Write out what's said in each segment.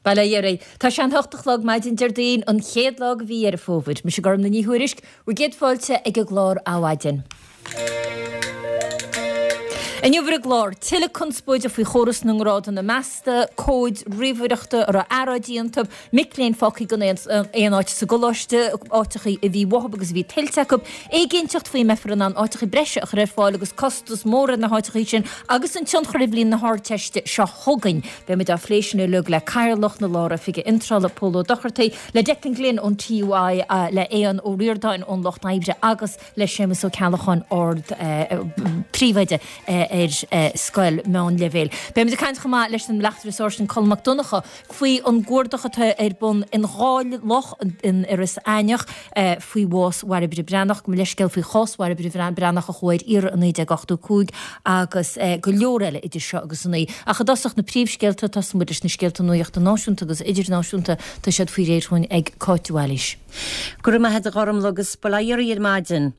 Bail ó Dhia oraibh. Tá sé an hocht a chlog maidin Déardaoin, an chéad lá de mhí Dheireadh Fómhair. Mise Gormfhlaith Ní Thuairisg, bhur gcéad fáilte ag an gclár Adhmhaidin. Inniu ar an gclár, tuilleadh conspóide faoi chóras na ngrádanna measta, comhaid ríomhaireachta a raibh earráidí iontu, mic léinn fágtha gan aon áit sa gcoláiste, áiteachaí a bhí uathu agus a bhí tuillte acu, éiginnteacht faoi an mbeifear in ann áiteachaí breise a chur ar fáil agus costas mór ar na háiteachaí sin agus an tionchar ar bhliain na hArdteiste seo chugainn. Beidh muid á phlé sin uilig le Cathaoirleach na Lár-Oifige Iontrála, Pól Ó Dochartaigh, le Declan Glynn ón TUI, le Aodhán Ó Ríordáin ón Lucht Oibre agus le Séamus Ó Ceallacháin, Ard Príomhoide ar scoil meánleibhéil. Beidh muid ag caint chomh maith leis an Bleachtaire Sáirsint Colm Mac Donncha faoi an gcuardach atá ar bun in dhá loch in Iorras Aithneach faoi bhás Bhairbre Breathnach, gabh mo leithscéal faoi chás Bhairbre Breathnach a chuaigh ar iarraidh i 1985 agus go leor eile idir seo agus a naoi. Ach i dtosach na príomhscéalta, tosóidh muid leis na scéalta nuachta náisiúnta agus idirnáisiúnta, tá siad faoi réir dhúinn ag Cáit de Bhailís. Go raibh maith agat a Ghormfhlaith agus bail ó Dhia oraibh ar maidin.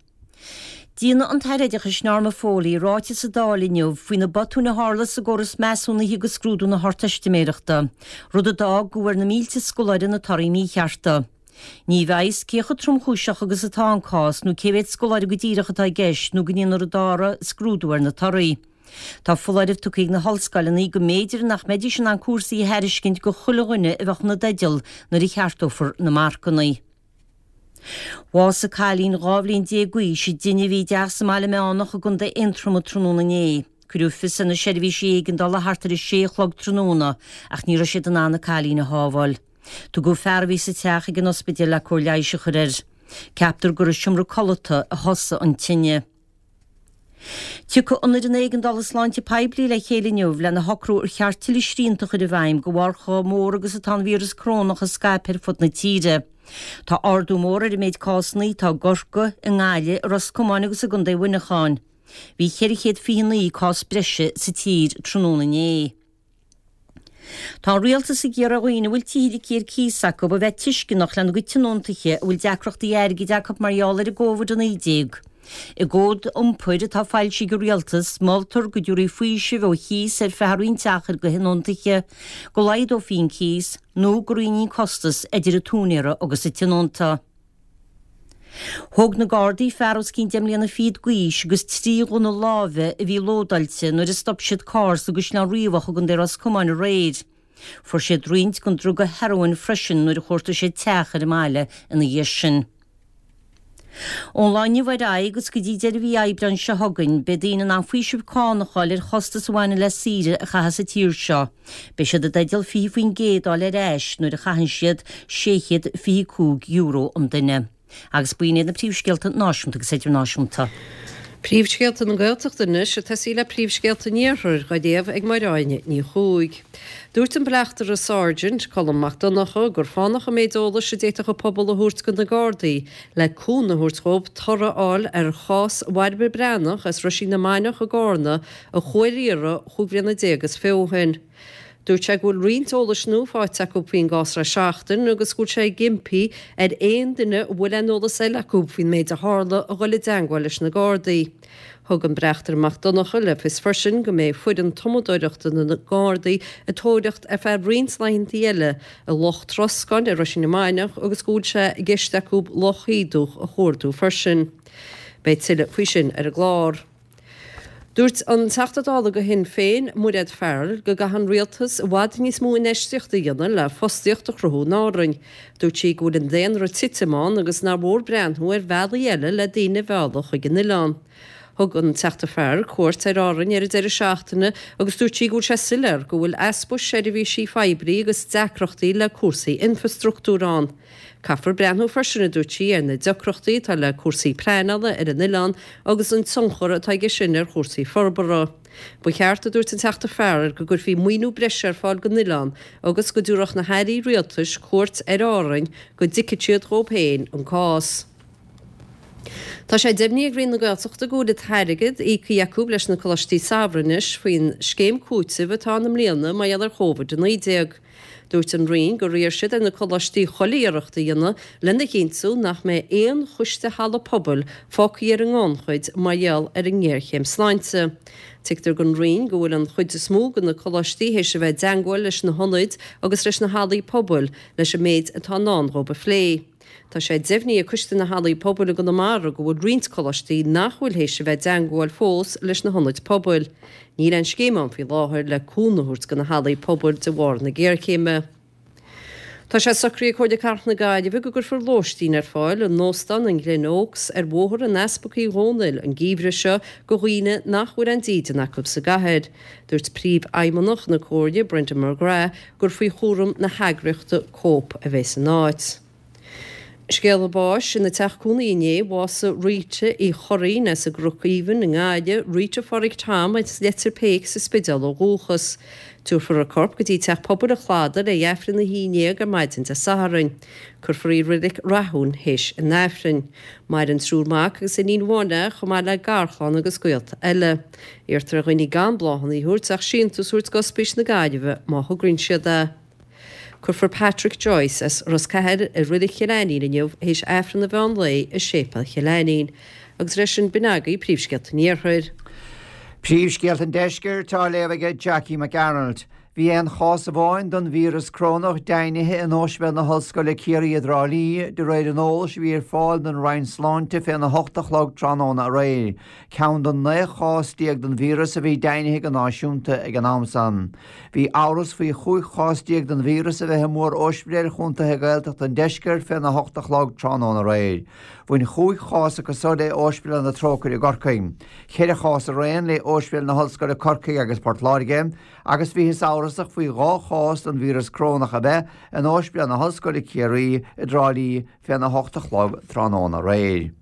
Déanfaidh an tAire Oideachais Norma Foley ráiteas sa Dáil inniu faoi na botúin a tharla sa gcóras measúnaithe do scrúdú na hArdteistiméireachta, rud a d'fhág go bhfuair na mílte scoláire na torthaí míchearta. Ní bheidh fhios cé chomh tromchúiseach agus atá an cás nó cé mhéad scoláire go díreach atá i gceist nó go ndéanfar an dara scrúdú ar na torthaí. Tá foláireamh tugtha ag na hollscoileanna go mb'fhéidir nach mbeidís in ann cúrsaí a thairiscint go chuile dhuine a bheadh ina dteideal nuair a cheartófar na marcanna. Bhásaigh cailín 12 bhliain d'aois i dtine a bhí i dteach sa mBaile Meánach i gContae Aontroma tráthnóna inné. Cuireadh fios ar na seirbhísí éigeandála thart ar a sé a chlog tráthnóna ach ní raibh siad in ann an cailín a shábháil. Tugadh fear a bhí sa teach ag an ospidéal le cóir leighis a chur air. Ceaptar gur i seomra codlata a thosaigh an tine. Tiocfaidh an Fhoireann Éigeandála Sláinte Poiblí le chéile inniu lena shocrú ar cheart tuilleadh srianta a chur i bhfeidhm de bharr chomh mór agus atá an víreas corónach ag scaipeadh ar fud na tíre. Tá ardú mór ar an méid cásanna atá i gCorcaigh, i nGaillimh, i Ros Comáin agus i gContae Mhuineacháin. Bhí 429 cás breise sa tír tráthnóna inné. Tá an Rialtas ag iarraidh ar dhaoine a bhfuil tithe ligthe ar cíos acu a bheith tuisceanach lena gcuid tionóntaithe a bhfuil deacrachtaí airgid acu mar gheall ar an gCovid-19. I gcód iompair atá foilsithe ag an Rialtas, moltar go dtabharfaí faoiseamh ó chíos ar feadh roinnt achair do thionóntaithe, go laghdófaí an cíos, nó go roinnfí an costas idir an t-úinéara agus an tionónta. Thóg na Gardaí fear os cionn deich mbliana fichead d'aois agus 3 ghunna láimhe a bhí lódáilte nuair a stop siad carr sa gCaisleán Riabhach i gContae Ros Comáin aréir. Fuair siad roinnt den druga hearóin freisin nuair a chuartaigh siad teach ar an mbaile ina dhiaidh sin. Ón lá inniu ar aghaidh agus go dtí deireadh mhí Aibreáin seo chugainn, beidh daoine in ann faoiseamh cánach a fháil ar chostais a bhaineann le saoire a chaitheamh sa tír seo. Beidh siad i dteideal 20% a fháil ar ais nuair a chaitheann siad €625 an duine. Agus b'in iad na príomhscéalta náisiúnta agus idirnáisiúnta. Príomhscéalta na Gaeltachta anois ag tosaí le príomhscéalta an Iarthair, á léamh ag Máire Áine Ní Chuaig. Dúirt an Bleachtaire Sergeant, Colm Mac Donncha, gur fánach an méid eolais a d'fhéadfadh an pobal a thabhairt do na Gardaí le cúnamh a thabhairt dhóibh toradh a fháil ar chás Bhairbre Breathnach as Roisín na Mainiach i gCárna a chuaigh ar iarraidh chúig bhliana déag is fiche ó shin. Dúirt sé go bhfuil roinnt eolais nua faighte acu faoin gcás le seachtain agus go bhfuil sé ag impí ar aon duine a bhfuil aon eolas eile acu faoin méid a tharla a dhul i dteangmháil leis na Gardaí. Thug an Bleachtaire Mac Donncha le fios freisin go mbeidh foireann tumadóireachta na nGardaí ag tóraíocht ar feadh roinnt laethanta eile i Loch Troscáin i Roisín na Mainiach agus go bhfuil sé i gceist acu Loch Shíodúch a chuardú freisin. Beidh tuilleadh faoi sin ar an gclár. Dúirt an Teachta Dála do Shinn Féin, Mairéad Farrell, go gcaithfidh an Rialtas i bhfad níos mó infheistíochta a dhéanamh le fostaíocht a chruthú in Árainn. Dúirt sí go bhfuil an daonra ag titim ann agus nár mhór breathnú ar bhealaí eile le daoine a mhealladh chuig an oileán. Thug an Teachta Farrell cuairt ar Árainn ar an deireadh seachtaine agus dúirt sí go bhfuil sé soiléir go bhfuil easpa seirbhísí phoiblí agus deacrachtaí le cúrsaí infrastruchtúir ann. Caithfear breathnú freisin, a dúirt sí, ar na deacrachtaí atá le cúrsaí pleanála ar an oileán agus an tionchar atá aige sin ar chúrsaí forbartha. Ba cheart, a dúirt an Teachta Farrell, go gcuirfí maoiniú breise ar fáil don oileán agus go dtabharfadh na hairí rialtais cuairt ar Árainn go dtuigfeadh siad dhóibh féin an cás. Tá sé deimhnithe ag Roinn na Gaeltachta go bhfuil an t-airgead íoctha acu leis na Coláistí Samhraidh anois faoin scéim cúitimh atá ann i mbliana mar gheall ar Covid-19. Dúirt an Roinn gur iarr siad ar na coláistí chuile iarracht a dhéanamh lena chinntiú nach mbeidh aon choiste halla pobail fágtha ar an ngannchuid mar gheall ar an ngéarchéim sláinte. Tuigtear don Roinn go bhfuil an chuid is mó de na coláistí théis a bheith i dteangmháil leis na hionaid agus leis na hallaí pobail leis an méid atá i ndán dhóibh a phlé. Tá sé deimhnithe ag Coiste na Hallaí Pobail i gConamara go bhfuil roinnt coláistí nach bhfuil théis a bheith i dteangmháil fós leis na hionaid pobail. Níl aon scéim ann faoi láthair le cúnamh a thabhairt do na hallaí pobail de bharr na géarchéime. Tá sé socraithe ag Comhairle Cathrach na Gaillimhe go gcuirfear lóistín ar fáil in Óstán an Glen Oaks ar Bhóthar an Easpaig Uí Dhónaill an geimhreadh seo do dhaoine nach bhfuil aon dídean acu sa gcathair. Dúirt Príomhfheidhmeannach na Comhairle, Brendan McGrath, gur faoi chúram na heagraíochta Cope a bheas an áit. Scéala báis ina teach cónaí inné, bhásaigh Rita Uí Churraoin as an gCnoc Aoibhinn i nGaillimh, Rita Phádraig Tom as Leitir Péic sa Spidéal ó dhúchas. Tabharfar a corp go dtí Teach Pobail an Chladaigh le hAifreann a 11 ar maidin Dé Sathairn. Cuirfear í i Reilig Rathúin théis an Aifrinn. Maireann triúr mac agus iníon amháin léi chomh maith le garchlann agus gaolta eile. Iarrtar ar dhaoine gan bláthanna a thabhairt ach síntiús a thabhairt d'Ospís na Gaillimhe má thograíonn siad é. Cuirfear Patrick Joyce as Ros Cathail i Reilig Chill Ainnín inniu théis Aifreann an mheán lae i Séipéal Chill Ainnín. Agus leis sin b'in agaibh príomhscéalta an Iarthair. Príomhscéalta an Deiscirt á léamh aige Jackie McArnold. Bhí aon chás amháin den víreas corónach deimhnithe in Ospidéal na hOllscoile Ciarraí i dTrá Lí, de réir an eolais a bhí ar fáil don Roinn Sláinte féna hocht a chlog tráthnóna aréir, ceann den 19 chás den víreas a bhí deimhnithe go náisiúnta ag an am san. Bhí amhras faoi 15 chás den víreas a bheith i mór-ospidéil chontaetha Gaeltachta an deiscirt féna hocht a chlog tráthnóna aréir. Bhain chúig chás acu so le Ospidéal na Trócaire i gCorcaigh, cheithre chás araon le Ospidéal na hOllscoile Corcaigh agus Port Láirge, agus bhíothas amhrasach faoi 2 chás den víreas corónach a bheith in Ospidéal na hOllscoile Ciarraí i dTrá Lí féna hocht a chlog tráthnóna aréir.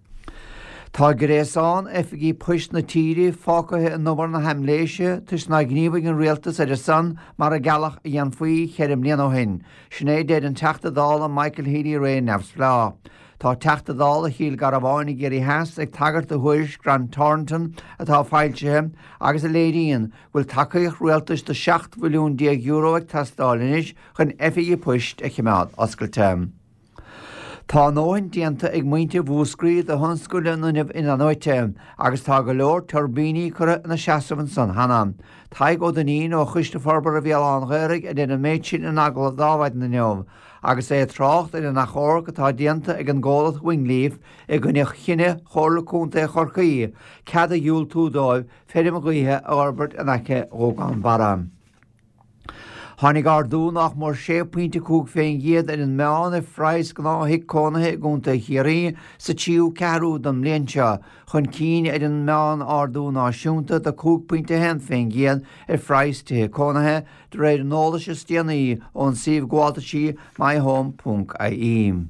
Tá gréasán oifigí poist na tíre fágtha in umar na haimléise toisc nár ghníomhaigh an rialtas ar a son mar a gealladh a dhéanfaí cheithre mbliana ó shin, sin é a deir an Teachta Dála Michael Healy-Rae Neamhspleách. Tá Teachta Dála Chill Garbháin i gCiarraí Theas ag tagairt do thuairisc Grant Thornton atá foilsithe agus a léiríonn bhfuil tacaíocht rialtais de €17 mhilliún ag teastáil anois chun oifigí poist a choimeád oscailte. Tá a ndóthain déanta ag muintir Mhúscraí do thionscal an fhuinnimh in-athnuaite agus tá go leor tuirbíní curtha ina seasamh ansan cheana. Tadhg Ó Duinnín ó Choiste Forbartha Bhéal Átha an Ghaorthaidh a deir an méid sin in agallamh d'Adhmhaidin inniu agus é ag trácht ar an achomharc atá déanta ag an gcomhlacht Wingleaf i gcoinne chinneadh Chomhairle Contae Chorcaí cead a dhiúltú dóibh feirm ghaoithe a fhorbairt in aice Ghúgán Barra. Tháinig ardú nách mór 6.5 fén gcéad ar an meán ar phraghas gnáth-thigh cónaithe i gContae Chiarraí sa tríú ceathrú den mbliain seo, chun cinn ar an meán-ardú náisiúnta de 5.1 fén gcéad ar phraghas tithe cónaithe, de réir an eolais is déanaí ón suíomh gabháltaisí myhome.ie.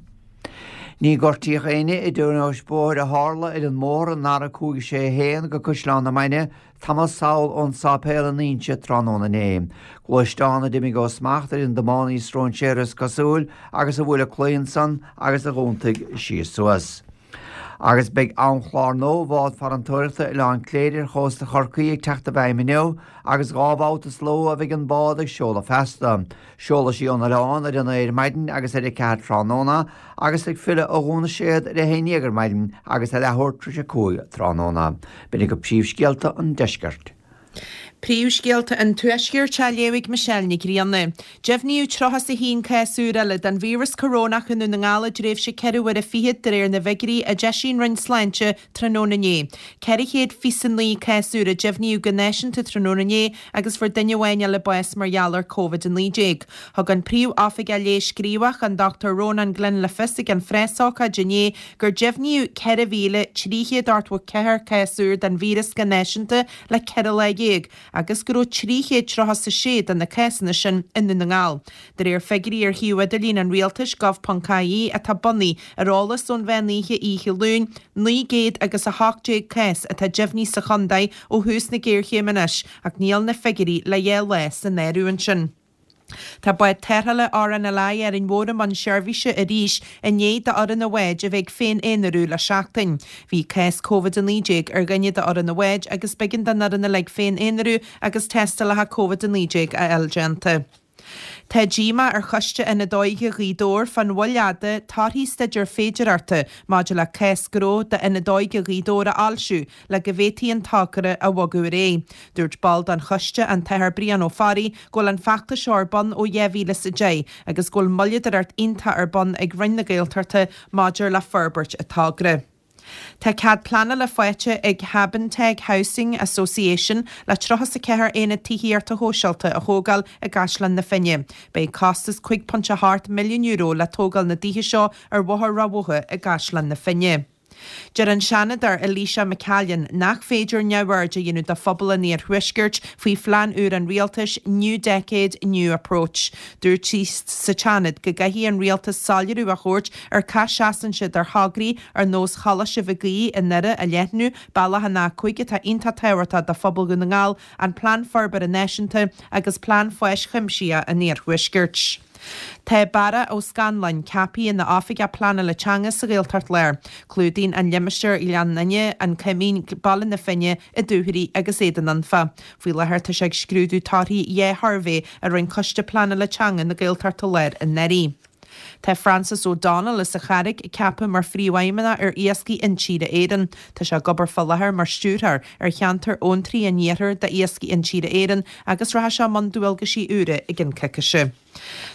Ní gortaíodh éinne i dtionóisc bóthair a tharla ar an mbóthar an R561 go Caisleán na Mainge tamall sall ón sáipéal in Inse tráthnóna inné. Gluaisteán a d'imigh ó smacht ar an dtiománaí stróinséartha is cosúil agus a bhuail an claí ansan agus a dh'iontaigh síos suas. Agus beidh amchlár nua bhád farantóireachta Oileán Cléire ar chósta Chorcaí ag teacht i bhfeidhm inniu agus 2 bhabhta sa ló a bheidh an bád ag seoladh feasta. Seolfaidh sí ón oileán ar a 9 ar maidin agus ar a 4 tráthnóna agus ag filleadh ó Dhún na Séad ar a 11 ar maidin agus ar leathuair tar éis a 5 tráthnóna. B'in agaibh príomhscéalta an deiscirt. Príomhscéalta an Tuaiscirt á léamh ag Michelle Nic Grianna. Deimhníodh 31 cás úr eile den víreas corónach i nDún na nGall i dtréimhse ceithre huaire fichead de réir na bhfigiúirí a d'eisigh an Roinn Sláinte tráthnóna inné. 429 cás úr a deimhníodh go náisiúnta tráthnóna inné agus fuair duine amháin eile bás mar gheall ar Covid-19. Thug an Príomh-Oifigeach Leighis Gníomhach, an Dr Rónán Glynn le fios ag an phreasócáid inné gur deimhníodh 4,384 cás úr den víreas go náisiúnta le 14 lá agus go raibh 336 de na cásanna sin i nDún na nGall. De réir figiúirí ar shuíomh idirlín an rialtais, gov.ie, atá bunaithe ar eolas ón mheán oíche oíche Luain, 900 agus 18 cás atá deimhnithe sa chontae ó thús na géarchéime anois ach níl na figiúirí le dhá lá san áireamh ansin. Tá bád tarrthála RNLI Árainn Mhór i mbun seirbhíse arís i ndiaidh d'fhoireann an bháid a bheith ag féin-aonarú le seachtain. Bhí cás Covid-19 ar dhuine d'fhoireann an bháid agus b'éigean don fhoireann uilig féin-aonarú agus tástálacha Covid-19 a fháil déanta. Tá díomá ar Choiste Ionad Óige Ghaoth Dobhair fán mhoill fhada torthaí staidéar féidearthachta maidir le cás gnó d'Ionad Óige Ghaoth Dobhair a fhoilsiú le go bhféadfaí an togra a bhogadh ar aghaidh. Dúirt ball den choiste, an tAthair Brian Ó Fearraigh, go bhfuil an feachtas seo ar bun ó 2010 agus go bhfuil moilleadóireacht iontach ar bun ag Roinn na Gaeltachta maidir le forbairt an togra. Tá cead pleanála faighte ag Habinteg Housing Association le 34 aonad tithíochta shóisialta a thógáil i gCaisleán na Finne. Beidh costas €5.8 milliún le tógáil na dtithe seo ar Bhóthar Ráth Bhotha i gCaisleán na Finne. Deir an Seanadóir Eilíse McCallion nach féidir neamhaird a dhéanamh de phobal an iarthuaiscirt faoi phlean úr an rialtais 'New Decade, New Approach'. Dúirt sí sa tSeanad go gcaithfidh an rialtas soiléiriú a thabhairt ar cá seasann siad ar thograí ar nós Choláiste Mhig Aoidh i nDoire a leathnú, bealach an A5 atá iontach tábhachtach do phobal Dhún na nGall, an Plean Forbartha Náisiúnta agus Plean Fáis Chuimsitheach an Iarthuaiscirt. Tá Barra Ó Scanláin ceaptha ina Oifigeach Pleanála Teanga sa Ghaeltacht Láir. Clúdaíonn an limistéar Gleann Fhinne, An Coimín, Baile na Finne, An Dúchoraidh agus Éadan Anfa. Faoi láthair tá sé ag scrúdú torthaí dhá shuirbhé a rinne Coiste Pleanála Teanga na Gaeltachta Láir anuraidh. Tá Francis O'Donnell as an Charraig ceaptha mar Phríomhfheidhmeannach ar Iascaigh Intíre Éireann. Tá sé ag obair fá láthair mar Stiúrthóir ar Cheantar Abhantraí an Iarthair d'Iascaigh Intíre Éireann agus rachaidh sé i mbun dualgaisí úra i gcionn coicíse.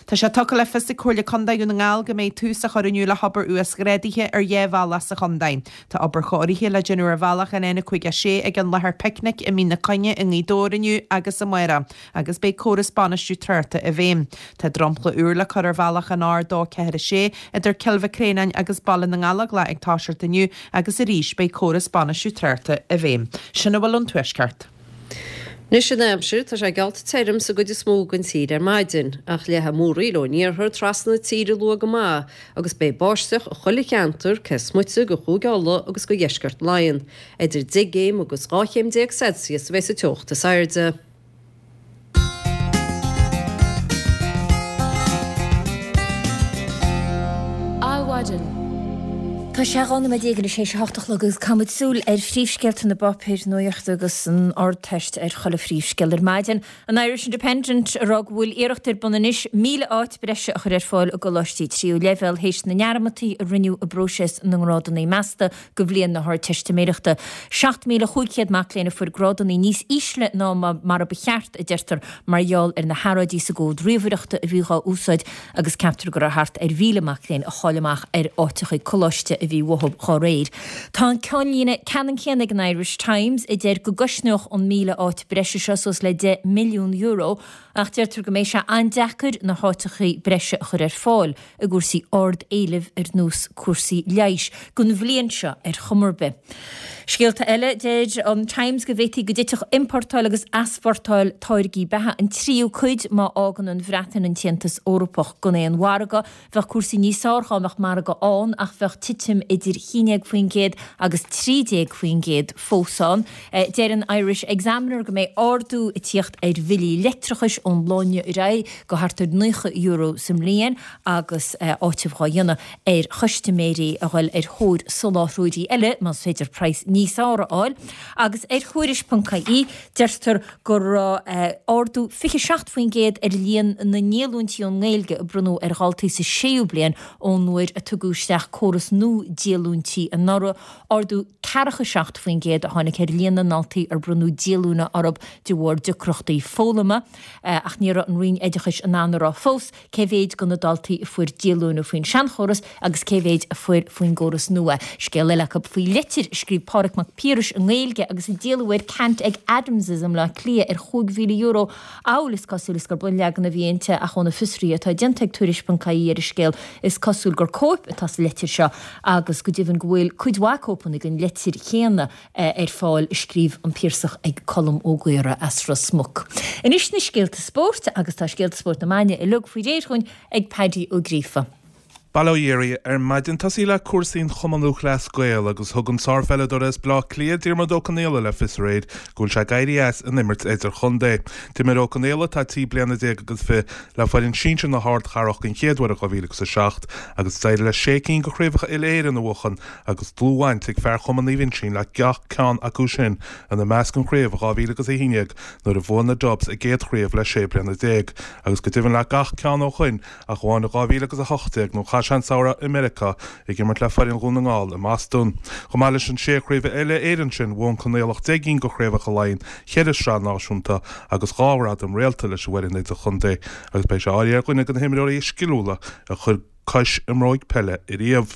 Tá sé tugtha le fios ag Comhairle Contae Dhún na nGall go mbeidh tús á chur inniu le hobair uasghrádaithe ar dhá bhealach sa chontae. Tá obair chóirithe le déanamh ar bhealach an N56 ag an láthair Picnic i Mín na Coinne i nGaoth Dobhair inniu agus amárach agus beidh córas bainistiú tráchta i bhfeidhm. Tá dromchla úr le cur ar bhealach an R246 idir Cill Mhic Réanáin agus Baile na nGallóglach ag toiseacht inniu agus arís beidh córas bainistiú tráchta i bhfeidhm. Sin a bhfuil ón Tuaisceart. Anois an aimsir, tá sé geallta tirim sa gcuid is mó den tír ar maidin, ach leathfaidh múraíl ón iarthar trasna na tíre luath go maith agus beidh báisteach i chuile cheantar cé is moite de Chúige Uladh agus de dheisceart Laighean. Idir 10 gcéim agus 12 chéim Celsius a bheidh sa teocht is airde. Adhmhaidin. Tá sé 12 nóiméad anois théis a hocht a chlog agus caithfimid súil ar phríomhscéalta na bpáipéir nuachta agus an Ardteist ar chuile phríomhscéal ar maidin. An Irish Independent ag rá go bhfuil iarracht ar bun anois 1,000 áit breise a chur ar fáil i gcoláistí tríú leibhéal théis na ndearmadtaí a rinneadh i bpróiseas na ngrádanna measta do bhliain na hArdteistiméireachta. 7,500 mac léinn a fuair grádanna níos ísle ná mar a ba cheart, a deirtear, mar gheall ar na hearráidí sa gcomhad ríomhaireachta a bhí dhá úsáid agus ceaptar go raibh thart ar 1,000 mac léinn a chaill amach ar áiteachaí coláiste a bhí uathu dhá réir. Tá an ceannlíne ceannann céanna ag an Irish Times, a deir go gcosnódh an 1,000 áit breise seo suas le €10 milliún ach deirtear go mbeidh sé an-deacair na háiteachaí breise a chur ar fáil i gcúrsaí ard-éilimh ar nós cúrsaí leighis, don bhliain seo ar chuma ar bith. Scéalta eile, deir an Times go bhféadfaí go dtitfeadh iompórtáil agus easpórtáil táirgí beatha an tríú cuid má fhágann an Bhreatain an tAontas Eorpach gan aon mhargadh. Bheadh cúrsaí níos fearr dhá mbeadh margadh ann ach bheadh titim idir 11% agus 13% fós ann. Deir an Irish Examiner go mbeidh ardú ag tíocht ar bhillí leictreachais ón lá inniu ar aghaidh go thart ar €90 sa mbliain agus áiteamh dhá dhéanamh ar chustaiméirí a dhul ar thóir soláthróirí eile más féidir praghas níos fearr a fháil. Agus ar Thuairisc.ie deirtear go raibh ardú 27% ar líon na ndíolúintí ón nGaeilge a bronnadh ar dhaltaí sa séú bliain ón uair a tugadh isteach córas nua díolúintí anuraidh. Ardú 47% a tháinig ar líon na ndaltaí ar bronnadh díolúine orthu de bharr deacrachtaí foghlama ach ní raibh an Roinn Oideachais in ann a rá fós cé mhéid de na daltaí a fuair díolúine faoin seanchóras agus cé mhéid a fuair faoin gcóras nua. Scéal eile acu faoi litir a scríobh Pádraig Mac Piarais i nGaeilge agus a díoladh ar ceant ag Adams' i mBleá Cliath ar €5,000 amhail is cosúil is gur bunleagan a bhí inti ach ó na fiosruithe atá déanta ag Tuairisc.ie ar an scéal is cosúil gur cóip atá sa litir seo agus go deimhin go bhfuil cuid mhaith cóipeanna den litir chéanna ar fáil a scríobh an Piarsach ag Colm Ó Gaora as Ros Muc. Anois na scéalta spóirt agus tá scéalta spóirt na maidine uilig faoi réir dhúinn ag Paddy Ó Gríofa. Bail ó Dhia oraibh ar maidin. Tosaí le cúrsaí an Chumann Lúthchleas Gael agus thug an sárpheileadóir as Bleá Cliath, Diarmuid Ó Conaola le fios aréir go bhfuil sé ag éirí as an imirt idirchontae. D'imir Ó Conaola, atá trí bliana déag agus fi, le foireann sinsir na hardchathrach den chéad uair in 2007 agus d'éirigh leis sé cinn de chraobhacha uile-Éireann a bhuachan agus dlúthbhaint ag fear Chumann Naomh Uinseann le gach ceann acu sin, ina measc an chraobh in 2011 nuair a bhuaigh na Dubs a gcéad chraobh le sé bliana déag agus go deimhin le gach ceann ó shoin ach amháin i 2018 nuair a chaith sé an samhradh i Meiriceá ag imirt le foireann Dhún na nGall i mBostún. Chomh maith leis an sé chraobh uile-Éireann sin, bhuaigh an Conaolach 10 gcinn de chraobhacha Laighean, cheithre shraith náisiúnta agus dhá ghradam réalta leis an bhfoireann idirchontae agus beidh sé áirithe ar dhuine de na himreoirí is sciliúla a chuir cois i mbróig peile ariamh.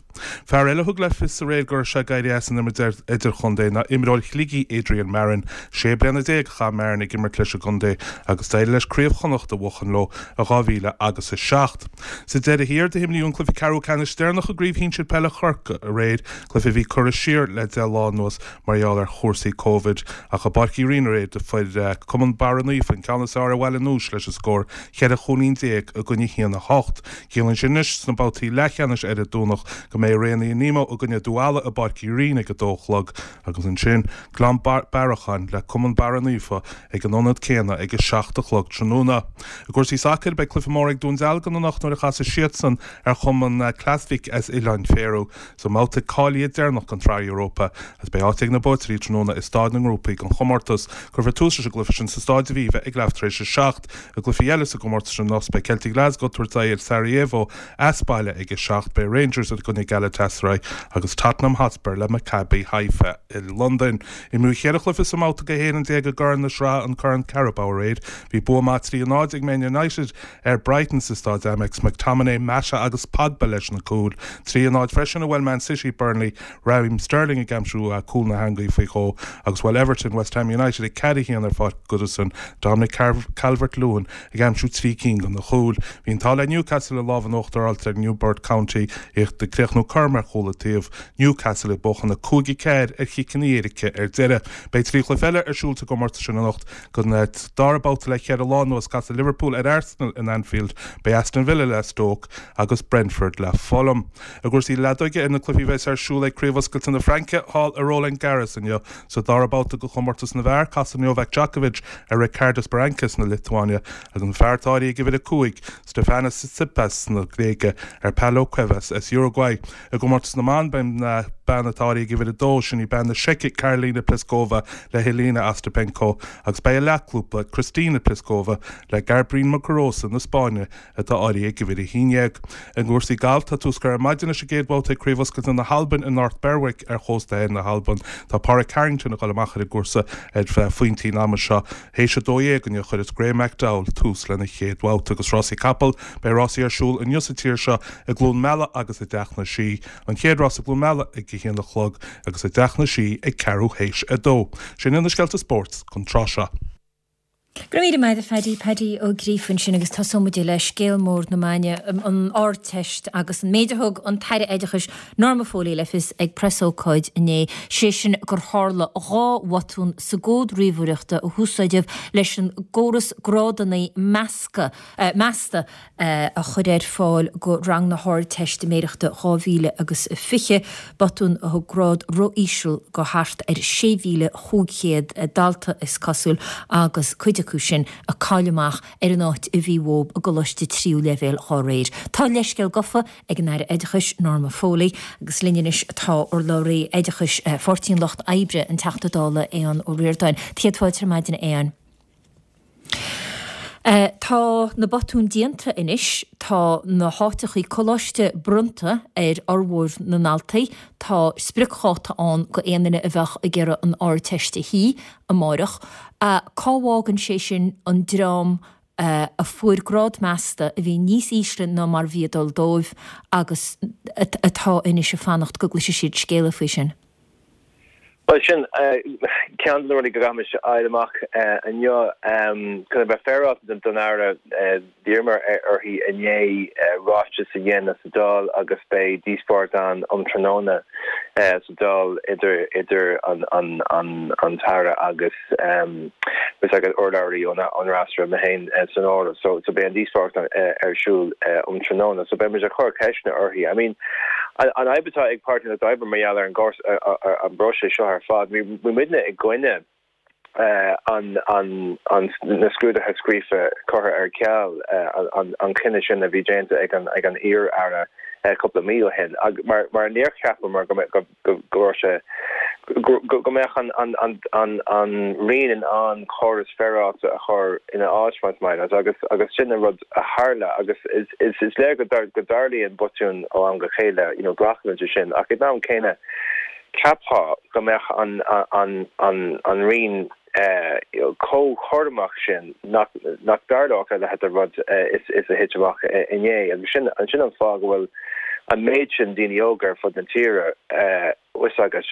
Fear eile a thug le fios aréir go raibh sé ag éirí as an imirt idirchontae ná imreoir Shligigh Adrian Marron. Sé bliana déag a chaith Marron ag imirt leis an gcontae agus d'éirigh leis Craobh Chonnacht a bhuachan leo i 2000 agus 7. Sa deireadh thiar, d'imríodh an cluiche ceathrú ceannais deireanach i gCraobh Shinsir Peile Chorcaí aréir, cluiche a bhí curtha siar le 10 lá anuas mar gheall ar chúrsaí Covid. Ach i bPáirc Uí Rinn aréir, do fuair Cumann Barra Naofa an ceann is fearr ar Bhaile an Núis leis an scór cheithre chúilín déag i gcoinne 1-8. Ciallaíonn sin anois sna babhtaí leathcheannais ar an Domhnach go mbeidh Raonaithe Nemo i gcoinne Dún Ealla i bPáirc Uí Rinn ag a dó a chlog agus ansin Gleann Bearacháin le Cumann Barra Naofa ag an ionad céanna ag a 7 a chlog tráthnóna. I gcúrsaí sacair, beidh cluiche mór ag Dún Dealgan anocht nuair a chasfaidh siadsan ar chumann Klaksvík as Oileáin Faeró sa mbabhta cáilithe deireanach den tSraith Europa agus beidh áit ag na buaiteoirí tráthnóna i staid na ngrúpaí den chomórtas. Cuirfear tús leis an gcluiche sin sa Staid Aviva ag leath tar éis a 7. I gcluichí eile sa gcomórtas sin anocht beidh Celtic Glasgow ag tabhairt aghaidh ar Sarajevo as baile ag a 7, beidh Rangers i gcoinne Galatasaray agus Tottenham Hotspur le Maccabi Haifa i Londain. Imríodh cheithre chluiche sa mbabhta go 11 i gCorn na Sraithe, an Corn Carabao aréir. Bhí bua maith 3-0 ag Man United ar Brighton sa Staid Amex, McTominay, Mata agus Pogba leis na cúil. 3-0 freisin a bhuail Man City Burnley, Raheem Sterling ag aimsiú cúl na heangaí faoi dhó agus bhuail Everton West Ham United 4-1 ar Pháirc Goodison, Dominic Calvert-Lewin ag aimsiú 3 cinn de na cúil. Bhí an t-ádh le Newcastle an lámh in uachtar a fháilt ar Newport County, iad ag críochnú cothrom ar chúl an taobh, Newcastle ag buachan 5-4 ar chiceanna éirice ar deireadh. Beidh 3 chluiche eile ar siúl sa gcomórtas sin anocht don dara babhta le ceithre lá anuas. Casfaidh Liverpool ar Arsenal in Anfield, beidh Aston Villa le Stoke agus Brentford le Fulham. I gcúrsaí leadóige, ar na cluichí a bheas ar siúl ag Craobh Oscailte na Fraince thall i Roland Garros inniu, sa dara babhta de chomórtas na bhfear, casfaidh Novak Djokovic ar Ricardas Berankis na Liotuáine agus an fear atá áirithe ag uimhir 5, Stefanos Tsitsipas na Gréige, ar Pablo Cuevas as Uruguay. I gcomórtas na mban, beidh an bean atá áirithe ag uimhir 2, sin í bean na Seice Karolina Pliskova le Jelena Ostapenko agus beidh a leathchlúpla, Kristyna Pliskova le Garbiñe Muguruza na Spáinne atá áirithe ag uimhir 11. I gcúrsaí gailf, tá tús curtha ar maidin leis an gcéad bhabhta ag Craobh Oscailte na hAlban i North Berwick ar chósta thoir na hAlban. Tá Pádraig Harrington ag dul amach ar an gcúrsa ar phointí an ama seo. Théis 12 inniu chuirfeas Graeme McDowell tús lena chéad bhabhta. Agus rásaí capall, beidh rásaí ar siúl inniu sa tír seo i gCluain Meala agus i dTeach na Sí. An chéad rás i gCluain Meala ag a haon a chlog agus i dTeach na Sí ag ceathrú théis a dó. Sin iad na scéalta spóirt don tráth seo. Go raibh míle maith agat a Phaddy, Paddy Ó Gríofa ansin agus tosóidh muid le scéal mór na maidine, an Ardteist agus an méid a thug an tAire Oideachais Norma Foley le fios ag preasócáid inné, sé sin gur tharla 2 bhotún sa gcód ríomhaireachta a húsáideadh leis an gcóras grádanna measctha, measta, a chur ar fáil go rang na hArdteistiméireachta 2020, botún a thug grád ró-íseal go thart ar 6,500 dalta, is cosúil, agus cuid acu sin ag cailleadh amach ar an áit a bhí uathu i gcoláiste tríú leibhéal dhá réir. Tá leithscéal gafa ag an Aire Oideachais, Norma Foley, agus linn anois atá urlabhraí oideachais Pháirtí an Lucht Oibre, an Teachta Dála Aodhán Ó Ríordáin. Céad fáilte ar maidin, a Aodháin. Tá na botúin déanta anois, tá na háiteachaí coláiste bronnta ar fhormhór na ndaltaí, tá spriocdháta ann go aon duine a bheadh ag iarraidh an Ardteist a shuí amáireach. Cá bhfágann sé sin an dream a fuair grád measta a bhí níos ísle ná mar bhí ag dul dóibh agus atá anois ag fanacht go gcloisfidh siad scéala faoi sin? Bhuel, sin. ceann de na rudaí go gcaithfimis a fháil amach inniu, chun a bheith féaráilte don Aire, d'iarramar uirthi inné ráiteas a dhéanamh sa Dáil agus beidh díospóireacht ann um tráthnóna sa Dáil idir an tAire agus bhfuil agat urlabhraí ón fhreasúra, mé féin san áireamh. So beidh an díospóireacht ar siúl um tráthnóna. So beidh muid ag cur ceisteanna uirthi. I mean, an fhadhb atá ag Páirtí an Lucht Oibre mar gheall ar an bpróiseas seo ar fad, bhí muidne i gcoinne an na scrúduithe scríofa curtha ar ceal, an cinneadh sin a bhí déanta ag an iar-aire cúpla mí ó shin, mar níor cheapamar go mbeadh go raibh sé, go mbeadh an Roinn in ann córas féaráilte a chur ina áit, más maith leat, agus agus sin an rud a tharla agus is léir go dtarlaíonn botúin ó am go chéile, you know, glacaimid leis sin, ach ag an am céanna cheapfá go mbeadh an Roinn chomh cúramach sin nach dtarlódh a leithéid de rud is a thit amach inné. Agus sin an fáth go bhfuil an méid sin daoine óga ar fud na tíre, fhios agat,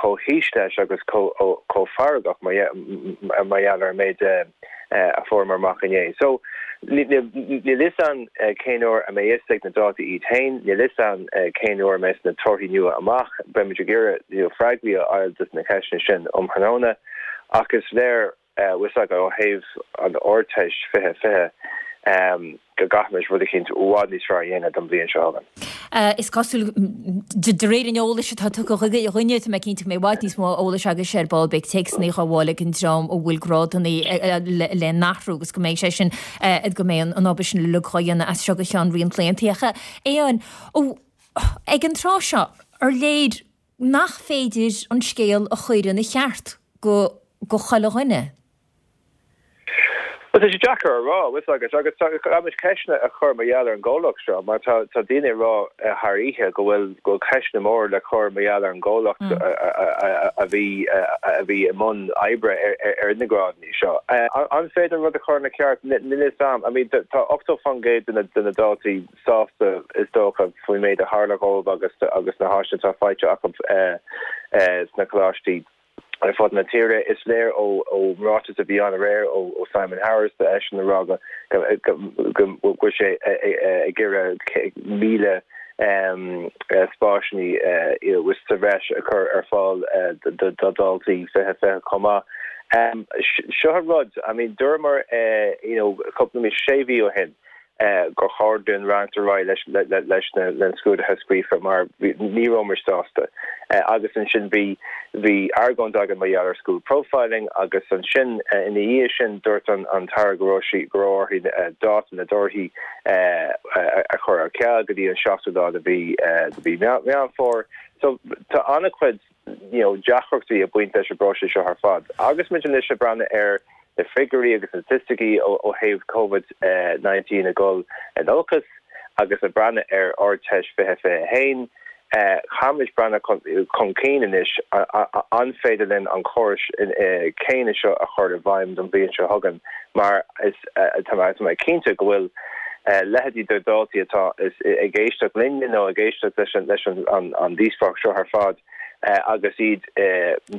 chomh thíos leis agus chomh feargach mar gheall ar an méid a fuaireamar amach inné. So, níl fhios a'inn cén uair a mbeidh fhios ag na daltaí iad féin, níl fhios a'inn cén uair a mbeidh na torthaí nua amach. Beimid ag iarraidh freagraí a fháil dos na ceisteanna sin um thráthnóna ach is léir, bhfuil fhios agat, ó thaobh an Ardteist 2020 go gcaithfimis rud eicínt i bhfad níos fearr a dhéanamh don bhliain seo chugainn. Is cosúil, de réir an eolais atá tugtha dhúinne, tá mé cinnte go mbeidh i bhfad níos mó eolais agaibhse ar ball, beidh téacsanna á ghabháil ag an dream a bhfuil grádanna le n-athrú agus go mbeidh sé sin, go mbeidh an obair sin uilig á dhéanamh as seo go ceann roinnt laethanta. Ach a Aodháin, ag an tráth seo, ar léir nach féidir an scéal a chur ina cheart go go chuile dhuine. Bhuel, tá sé deacair a rá, bhfuil fhios agat, agus caithfimid ceisteanna a chur mar gheall ar an gcomhlacht seo, mar tá tá daoine ag rá thar oíche go bhfuil go bhfuil ceisteanna móra le cur mar gheall ar an gcomhlacht a bhí a bhí i mbun oibre ar na grádanna seo. An féidir an rud a chur ina cheart? Níl fhios a'm. I mean, tá 80% de na de na daltaí sásta, is dócha, faoin méid a tharla dhóibh agus agus na háiseanna atá faighte acu sna coláistí ar fud na tíre. Is léir ón ráiteas a bhí ann aréir ó Simon Harris, tá eisean ag rá go bhfuil sé ag iarraidh 1,000 spásanna sa bhreis a chur ar fáil do dhaltaí 2020 chomh maith. Seo an rud, I mean, dúramar you know cúpla mí, sé mhí ó shin, gur chóir dúinn leanacht ar aghaidh leis na scrúduithe scríofa mar ní rabhamar sásta. Agus ansin bhí bhí argóint againn mar gheall ar school profiling agus ansin ina dhiaidh sin dúirt an tAire go raibh sí go raibh uirthi dáta na dtorthaí a chur ar ceal go dtí an seachtú lá de mhí de mhí Meán Fómhair. So tá an-chuid you know, deacrachtaí ag baint leis an bpróiseas seo ar fad. Agus muid anois ag breathnú ar na figiúirí agus na staitisticí ó thaobh Covid-19 ag dul in olcas agus ag breathnú ar Ardteist 2021, caithfimid breathnú chun cinn anois, an féidir linn an córas céanna seo a chur i bhfeidhm don bhliain seo chugainn mar is tá mé cinnte go bhfuil leithéidí de dhaltaí atá ag éisteacht linne nó ag éisteacht leis an díospóireacht seo ar fad agus iad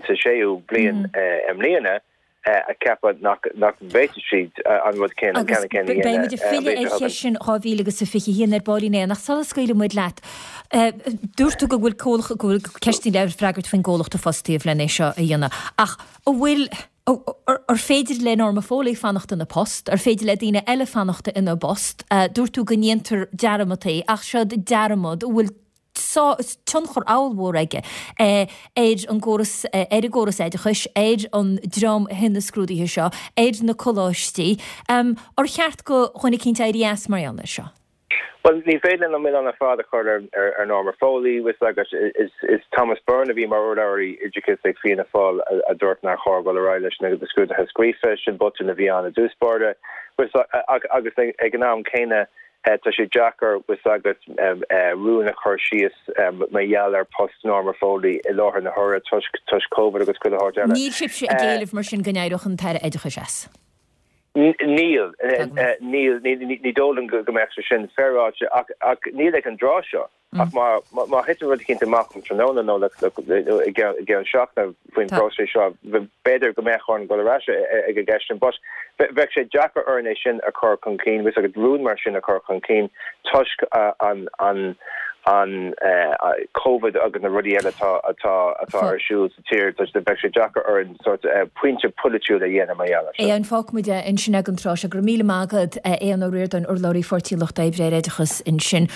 sa séú bliain i mbliana ag ceapadh nach bhféadfaidh siad an rud céanna, an ceann céanna a dhéanamh. Beidh muid ag filleadh ar cheist sin 2021 ar baillín éan ach sula scaoilfidh muid leat, dúirt tú go bhfuil comhlacht, go bhfuil ceisteanna le freagairt faoin gcomhlacht a fostaíodh len é seo a dhéanamh ach an bhfuil, Ar féidir le Norma Foley fanacht ina post? Ar féidir le daoine eile fanacht ina bpost? Dúirt tú go ndéantar dearmad é, ach seod dearmad a bhfuil tionchar ollmhór aige ar an gcóras, ar an gcóras oideachais, ar an dream a dhein na scrúduithe seo, ar na coláistí. Ar cheart do dhuine eicínt éirí as mar gheall air seo? Bhuel, ní féidir linn an milleán ar fad a chur ar Norma Foley, bhfuil fhios agat. Is Thomas Byrne a bhí mar urlabhraí oideachais ag Fianna Fáil a dúirt nár chóir dul ar aghaidh leis na scrúduithe scríofa. Sin botún a bhí ann i dtús báire. Agus ag an am céanna, tá sé deacair, bhfuil fhios agat, rún a chur síos mar gheall ar post Norma Foley i láthair na huaire toisc Covid agus chuile shórt eile. Níl sibhse ag éileamh mar sin go n-éireodh an tAire Oideachais as? Níl, níl, ní dóigh liom go mbeadh sé sin féaráilte ach níl ag an dtráth seo. Ach má thiteann rud eicínt amach um tráthnóna nó i gceann seachtaine faoin bpróiseas seo, b'fhéidir go mbeadh orainn dul ar ais ag an gceist sin. But bheadh sé deacair orainn é sin a chur chun cinn, bhfuil a fhios agat, rún mar sin a chur chun cinn toisc an an Covid agus na rudaí eile atá atá atá ar siúl sa tír, bheadh sé deacair orainn sórt pointe polaitiúil a dhéanamh mar gheall air seo. Aodhán, fágfaidh muid é ansin ag an tráth seo. Go raibh míle maith agat, a Aodhán Ó Ríordáin, urlabhraí Pháirtí an Lucht Oibre ar Oideachas ansin.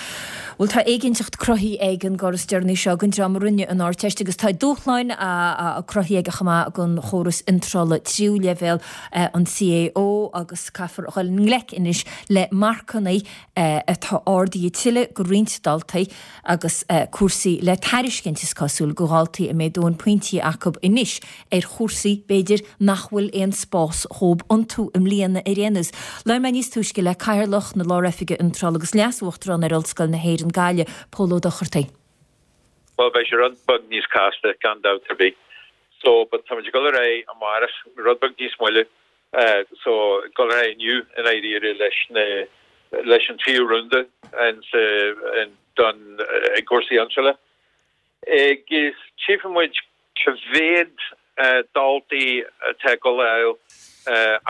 Bhuel, tá éiginnteacht cruthaithe ag an gcóras deireanaí seo don dream a rinne an Ardteist agus tá dúshláin cruthaithe aige chomh maith don chóras iontrála tríú leibhéal, an CAO, agus caithfear a dhul i ngleic anois le marcanna atá ardaithe tuilleadh do roinnt daltaí agus cúrsaí le tairiscint, is cosúil, do dhaltaí a mbeidh dóthain pointí acu anois ar chúrsaí, b'fhéidir, nach bhfuil aon spás dhóibh iontu i mbliana ar aon nós. Labhair mé níos túisce le Cathaoirleach na Lár-Oifige Iontrála agus Leas-Uachtarán ar Ollscoil na hÉireann, Gaillimh, Pól Ó Dochartaigh. Bhuel, beidh sé rud beag níos casta, gan dabht ar bith. So, but táimid ag dul ar aghaidh amárach, rud beag níos moille. So, ag dul ar aghaidh inniu, i ndáiríre, leis na, leis an tríú rúnda in sa, in, don, i gcúrsaí iontrála. Agus tchífidh muid cá mhéad daltaí atá ag dul a fháil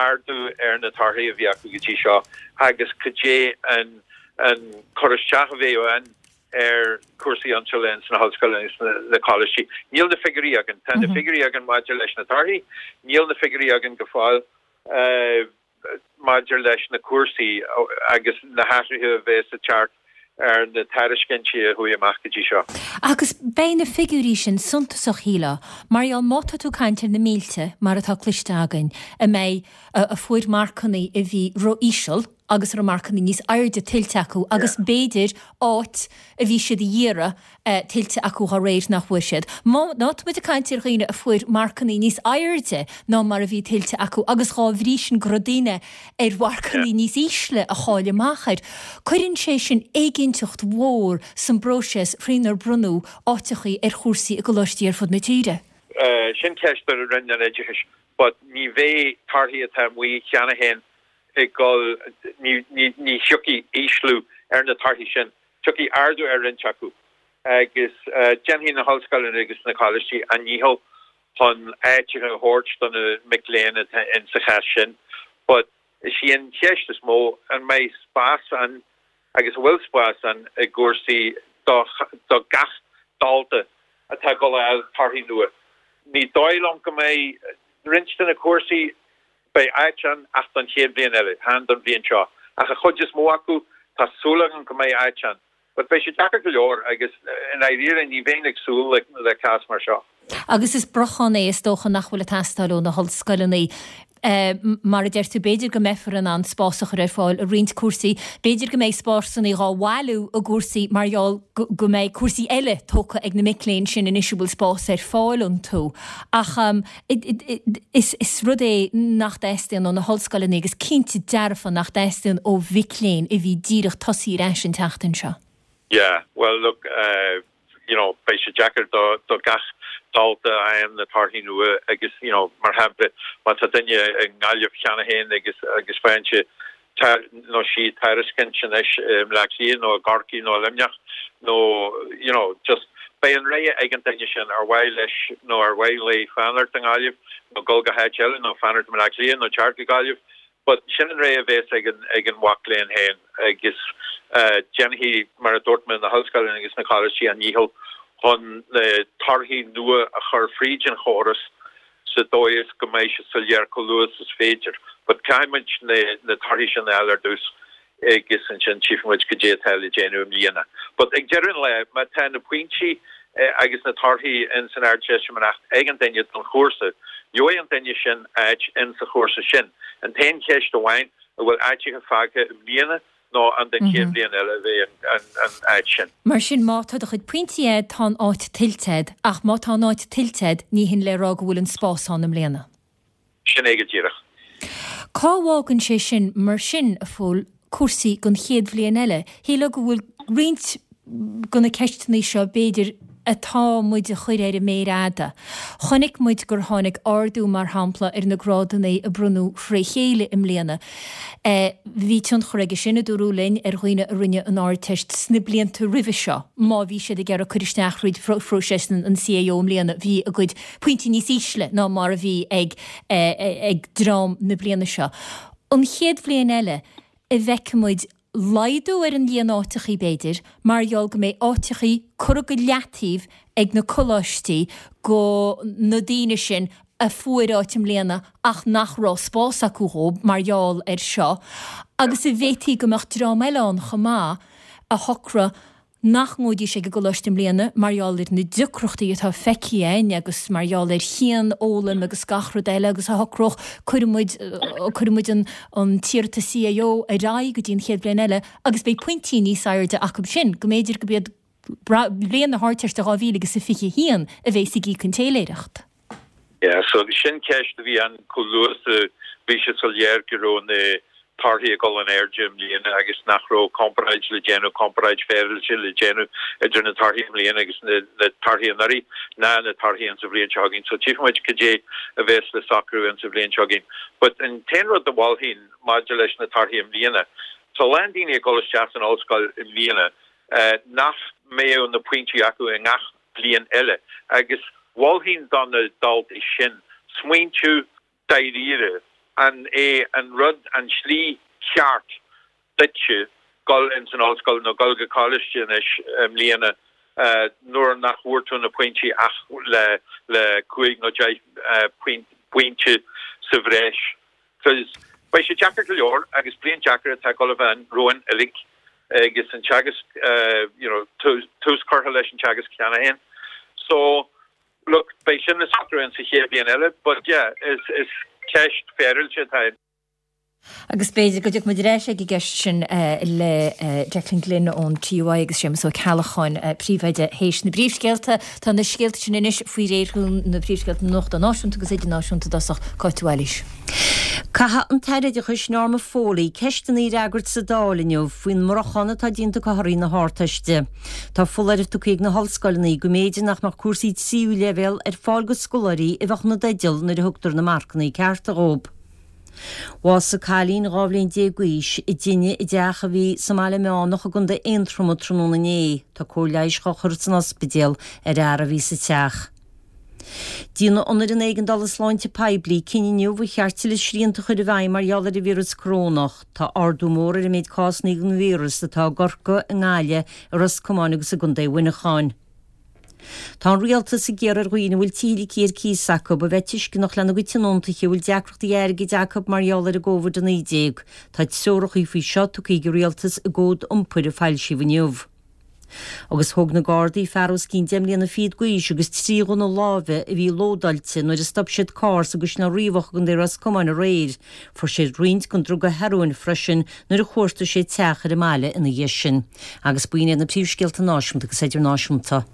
ardú ar na torthaí a bhí acu go dtí seo agus cad é an cur isteach a bheidh ann ar chúrsaí iontrála ins na hollscoileanna agus na coláistí. Níl na figiúirí againn. Tá na figiúirí againn maidir leis na torthaí, níl na figiúirí againn go fóill. maidir leis na cúrsaí agus na hathruithe a bheas ag teacht ar na tairiscintí a chuaigh amach go dtí seo. Agus beidh na figiúirí sin suntasach, shílfeá, mar gheall má tá tú ag caint ar na mílte, mar atá cloiste againn, a mbeidh, a fuair marcanna a bhí ró-íseal agus a raibh marcanna níos airde tuillte acu agus b'fhéidir áit a bhí siad a iarraidh tuillte acu dhá réir nach bhfuair siad. Má tá muid ag caint ar dhaoine a fuair marcanna níos airde ná mar a bhí tuillte acu agus dhá bhrí sin go raibh daoine ar mharcanna níos ísle a cháiligh amach air, cuireann sé sin éiginnteacht mhór san bpróiseas faoinar bronnadh áiteachaí ar chúrsaí i gcoláistí ar fud na tíre. Sin ceist do Roinn an Oideachais but ní bheidh torthaí atá amuigh cheana féin ag dul, ní thiocfaidh ísliú ar na torthaí sin. Tiocfaidh ardú ar roinnt acu agus déanfaidh na hollscoileanna agus na coláistí a ndícheall chun áiteacha a thabhairt do na mic léinn atá in sa chás sin. But is í an cheist is mó an mbeidh spás ann agus an bhfuil spás ann i gcúrsaí do gach dalta atá ag dul a fháil torthaí nua. Ní dóigh liom go mbeidh roinnt de na cúrsaí Beidh áit ann ach don chéad bhliain eile, chan don bhliain seo. Ach an chuid is mó acu, tá súil agam go mbeidh áit ann. But beidh sé deacair go leor agus i ndáiríre ní bheinn ag súil le cás mar seo. Agus is brochan é is dócha nach bhfuil ag teastáil ó na hollscoileanna. Mar a deir tú, b'fhéidir go mbeifear in ann spás a chur ar fáil i roinnt cúrsaí. B'fhéidir go mbeidh spásanna dhá bhailiú i gcúrsaí mar gheall go mbeidh cúrsaí eile tógtha ag na mic léinn sin anois a bhfuil spás ar fáil iontu. Ach Is rud é nach dteastaíonn ó na hollscoileanna agus cinnte dearfa nach dteastaíonn ó mhic léinn a bhí díreach tosaithe ar ais an tseachtain seo. Yeah, well look, you know, beidh sé deacair do do gach dalta a fhaigheann na torthaí nua agus, you know, mar shampla, má tá duine i nGaillimh cheana féin agus agus faigheann sé nó sí tairiscint anois i mBleá Cliath nó i gCorcaigh nó i Luimneach nó you know just beidh an rogha ag an duine sin ar mhaith leis nó ar mhaith léi fanacht i nGaillimh nó dul go háit eile nó fanacht i mBleá Cliath nó teacht go Gaillimh but sin an rogha a bheas ag an ag an mhac léinn féin agus déanfaidh mar a dúirt mé na hollscoileanna agus na coláistí a ndícheall chun na torthaí nua a chur fríd an chóras sa dóigh is go mbeidh sé soiléir chomh luath is is féidir. But caithfidh muid na torthaí sin a fháil ar dtús agus ansin tchífidh muid cad é atá le déanamh i mbliana. But ag deireadh an lae, má tá na pointí agus na torthaí in san Ardteistiméireacht ag an duine don chúrsa, gheobhaidh an duine sin áit in sa chúrsa sin. An t-aon cheist amháin, an bhfuil áiteacha fágtha i mbliana nó an don chéad bhliain eile a bheidh an áit sin. Mar sin, má tá do chuid pointí a'd, tá an áit tuillte a'd, ach má tá an áit tuillte a'd, ní hin le rá go bhfuil an spás ann i mbliana. Sin é go díreach. Cá bhfágann sé sin, mar sin, a Phóil, cúrsaí don chéad bhliain eile? Shílfeá go bhfuil roinnt de na ceisteanna seo, b'fhéidir. atá muid a chur ar an méar fhada. Chonaic muid gur tháinig ardú, mar shampla, ar na grádanna a bronnadh fré chéile i mbliana. Bhí tionchar aige sin, a dúradh linn, ar dhaoine a rinne an Ardteist sna blianta roimhe seo. Má bhí siad ag iarraidh cur isteach thríd phróiseas an CAO i mbliana, bhí a gcuid pointí níos ísle ná mar a bhí ag ag dream na bliana seo. An chéad bhliain eile, an bhfeicfidh muid laghdú ar an líon áiteachaí, b'fhéidir, mar gheall go mbeidh áiteachaí curtha go leataobh ag na coláistí go na daoine sin a fuair áit i mbliana ach nach raibh spás acu dhóibh mar gheall air seo agus an bhféadfaí go mbeadh dream eile ann chomh maith a shocródh nach ngabhfaidís ag an gcoláiste i mbliana mar gheall ar na deacrachtaí atá feicthe againn agus mar gheall ar chianfhoghlaim agus gach rud eile agus a shocródh cuirfidh muid, cuirfidh muid an, an t-iarratas CAO ar aghaidh go dtí an chéad bhliain eile agus beidh pointí níos airde acu sin, go mb'fhéidir go b'iad bliain na hArdteiste 2021 a bhéas ag íoc an téiléireacht. Yeah, so sin ceist a bhí ann chomh luath is a bhí sé soiléir go raibh na torthaí ag dul in airde i mbliana agus nach raibh comparáid le déanamh, comparáid féaráilte le déanamh idir na torthaí i mbliana agus na torthaí anuraidh ná na torthaí insa bhliain seo chugainn. So tchífidh muid cad é a bheas le socrú insa bhliain seo chugainn. But an t-aon rud a mholfainn maidir leis na torthaí i mbliana, tá a lán daoine ag dul isteach san ollscoil i mbliana nach mbeadh na pointí acu i ngach bliain eile agus mholfainn do na daltaí sin smaointiú dáiríre an é an rud, an tslí cheart duitse dul ins an ollscoil nó dul go coláiste anois i mbliana nuair nach bhfuair tú na pointí ach le le cúig nó deich bpointe sa bhreis. Cos beidh sé deacair go leor agus bliain deacair atá ag dul a bheith ann romhainn uilig agus an teagasc you know tús curtha leis an teagasc cheana féin. So look beidh sin le socrú in sa chéad bhliain eile but yeah is is ceist féaráilte atá ann. Agus b'fhéidir go dtiocfaidh muid ar ais ag an gceist sin le Declan Glynn ón TUI agus Séamus Ó Ceallacháin, Príomhoide, théis na bpríomhscéalta. Tá na scéalta sin anois faoi réir na príomhscéalta nuachta náisiúnta agus idirnáisiúnta i dtosach. Cáit Mhaoilís. Caithfidh an tAire Oideachais Norma Foley ceisteanna a fhreagairt sa Dáil inniu faoin mbriochán atá déanta acu thorthaí na hArdteiste. Tá foláireamh tugtha ag na hollscoileanna go mb'fhéidir nach mbeadh cúrsaí tríú leibhéal ar fáil go scoláirí a bheadh ina dteideal nuair a thugtar na marcanna cearta dhóibh. Bhásaigh cailín 12 bhliain d'aois i dtine i dteach a bhí sa mBaile Meánach i gContae Aontroma tráthnóna inné. Tá cóir leighis dhá chur san ospidéal ar fhear a bhí sa teach. Déanfaidh an Fhoireann Éigeandála Sláinte Poiblí cinneadh inniu ar cheart tuilleadh srianta a chur i bhfeidhm mar gheall ar an víreas corónach. Tá ardú mór ar an méid cásanna den víreas atá i gCorcaigh, i nGaillimh, i Ros Comáin agus i gContae Mhuineacháin. Tá an Rialtas ag iarraidh ar dhaoine a bhfuil tithe ligthe ar cíos acu a bheith tuisceanach lena gcuid tionóntaithe a bhfuil deacrachtaí airgid acu mar gheall ar an gCovid-19. Tá treoracha faoi seo tugtha ag an Rialtas i gcód iompair a foilsíodh inniu. Agus thóg na Gardaí fear os cionn deich mbliana fichead d'aois agus 3 ghunna láimhe a bhí lódáilte nuair a stop siad carr sa gCaisleán Riabhach i gContae Ros Comáin aréir. Fuair siad roinnt den druga hearóin freisin nuair a chuartaigh siad teach ar an mbaile ina dhiaidh sin. Agus b'in iad na príomhscéalta náisiúnta agus idirnáisiúnta.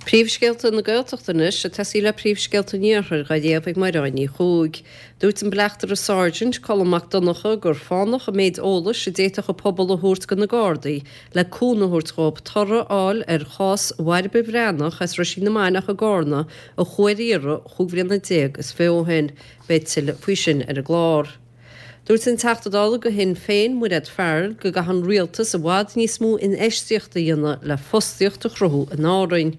Príomhscéalta na Gaeltachta anois, ag tosaí le príomhscéalta an Iarthair, dhá léamh ag Mairéad Ní Chuaig. Dúirt an Bleachtaire Sergeant, Colm Mac Donncha, gur fánach an méid eolais a d'fhéadfadh an pobal a thabhairt do na Gardaí le cúnamh a thabhairt dhóibh toradh a fháil ar chás Bhairbre Bhreathnach as Ruisín na Mainiach i gCarna a chuaigh ar iarraidh chúig bhliana déag is fiche ó shin. Beidh tuilleadh faoi sin ar an gclár. Dúirt an Teachta Dála do Shinn Féin, Mairéad Farrell, go gcaithfidh an rialtas i bhfad níos mó infheistíochta a dhéanamh le fostaíocht a chruthú in Árainn.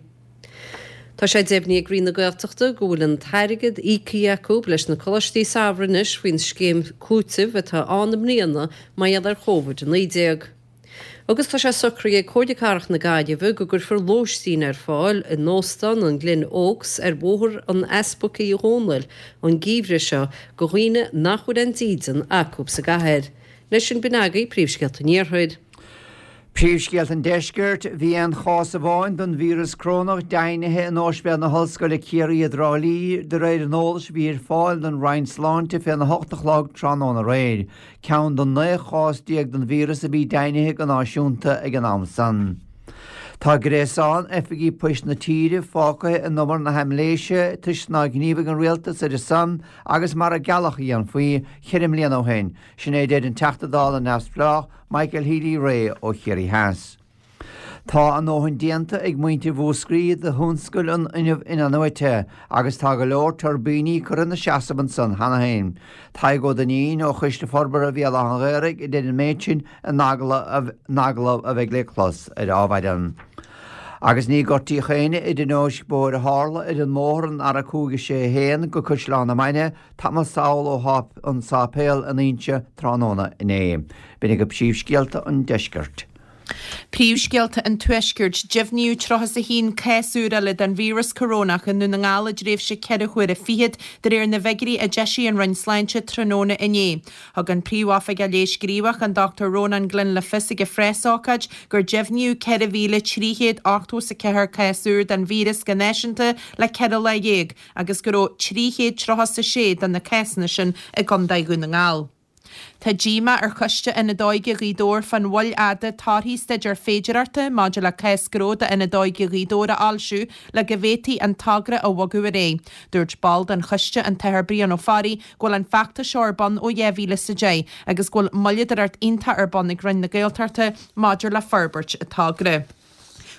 Tá sé deimhnithe ag Roinn na Gaeltachta go bhfuil an t-airgead íoctha acu leis na coláistí samhraidh anois faoin scéim cúitimh atá ann i mbliana mar gheall ar Covid-19. Agus tá sé socraithe ag Comhairle Cathrach na Gaillimhe go gcuirfear lóistín ar fáil in Óstán an Glen Oaks ar Bhóthar an Easpaig Uí Dhónaill an geimhreadh seo do dhaoine nach bhfuil aon dídean acu sa gcathair. Leis sin b'in agaibh príomhscéalta an Iarthair. Príomhscéalta an Deiscirt, Bhí aon chás amháin den víreas corónach deimhnithe in Ospidéal na hOllscoile Ciarraí i dTrá Lí, de réir an eolais a bhí ar fáil don Roinn Sláinte féna hocht a chlog tráthnóna aréir. ceann den 19 chás den víreas a bhí deimhnithe go náisiúnta ag an am san. Tá gréasán oifigí poist na tíre fágtha in umar na haimléise toisc nár ghníomhaigh an rialtas ar a son agus mar a gealladh a dhéanfaí cheithre mbliana ó shin, sin é a deir an Teachta Dála neamhspleách Michael Healy-Rae ó Chiarraí Theas. Tá a ndóthain déanta ag muintir Mhúscraí do thionscal an fhuinnimh inathnuaite agus tá go leor tuirbíní curtha ina seasamh ansan cheana féin. Tadhg Ó Duinnín ó Choiste Forbartha Bhéal Átha an Ghaorthaidh a deir an méid sin in agallamh a bheidh le clos ar Adhmhaidin. Agus ní gortaíodh éinne i dtionóisc bóthair a tharla ar an mbóthar an R561 go Caisleán na Mainge tamall sall ó an sáipéal in Inse tráthnóna inné. B'in agaibh príomhscéalta an deiscirt. Príomhscéalta an Tuaiscirt, Deimhníodh 31 cás úr eile den víreas corónach i nDún na nGall i dtréimhse ceithre huaire fichead, de réir na bhfigiúirí a d'eisigh an Roinn Sláinte tráthnóna inné. Thug an Príomhoifigeach Leighis Gníomhach, an Dr Rónán Glynn le fios ag a phreasócáid gur deimhníodh 4,384 cás úr den víreas go náisiúnta le 14 lá agus go raibh 336 de na cásanna sin i gContae Dhún na nGall. Tá díomá ar Choiste Ionad Óige Ghaoth Dobhair fán mhoill fhada torthaí staidéar féidearthachta maidir le cás gnó d'Ionad Óige Ghaoth Dobhair a fhoilsiú le go bhféadfaí an togra a bhogadh ar aghaidh. Dúirt ball den choiste, an tAthair Brian Ó Fearraigh, go bhfuil an feachtas seo ar bun ó 2010 agus go bhfuil moilleadóireacht iontach ar bun ag Roinn na Gaeltachta maidir le forbairt an togra.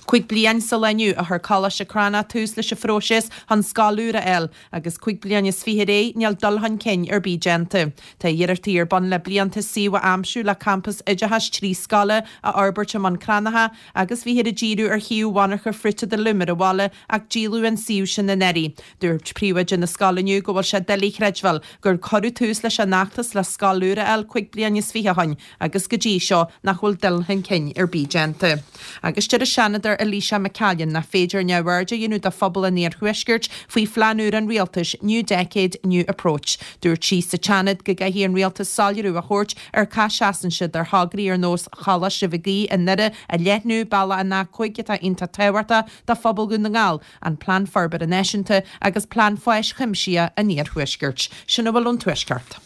5 bliain sa lá inniu a chuir Coláiste Crannach tús leis an phróiseas chun scoil úr a fháil agus 25 bliain ar aghaidh níl dul chun cinn ar bith déanta. Tá iarrachtaí ar bun le blianta suíomh a aimsiú le campas oideachais 3 scoile a fhorbairt i mBun Cranncha agus bhíthear ag díriú ar shuíomh mhonarcha Fruit of the Loom ar an bhaile ach díoladh an suíomh sin anuraidh. Dúirt príomhoide na scoile inniu go bhfuil sé doiligh a chreidbheáil gur cuireadh tús leis an fheachtas le scoil úr a fháil 25 bliain ó shin agus go dtí seo nach bhfuil dul chun cinn ar bith déanta. Agus deir an Seanadóir Eilíse McCallion nach féidir neamhaird a dhéanamh de phobal an iarthuaiscirt faoi phlean úr an rialtais New Decade, New Approach. Dúirt sí sa tSeanad go gcaithfidh an rialtas soiléiriú a thabhairt ar cá seasann siad ar thograí ar nós Choláiste Mhig Aoidh i nDoire a leathnú, bealach an A5 atá iontach tábhachtach do phobal Dhún na nGall, an Plean Forbartha Náisiúnta agus Plean Fáis Chuimsithigh an Iarthuaiscirt. Sin a bhfuil ón Tuaisceart.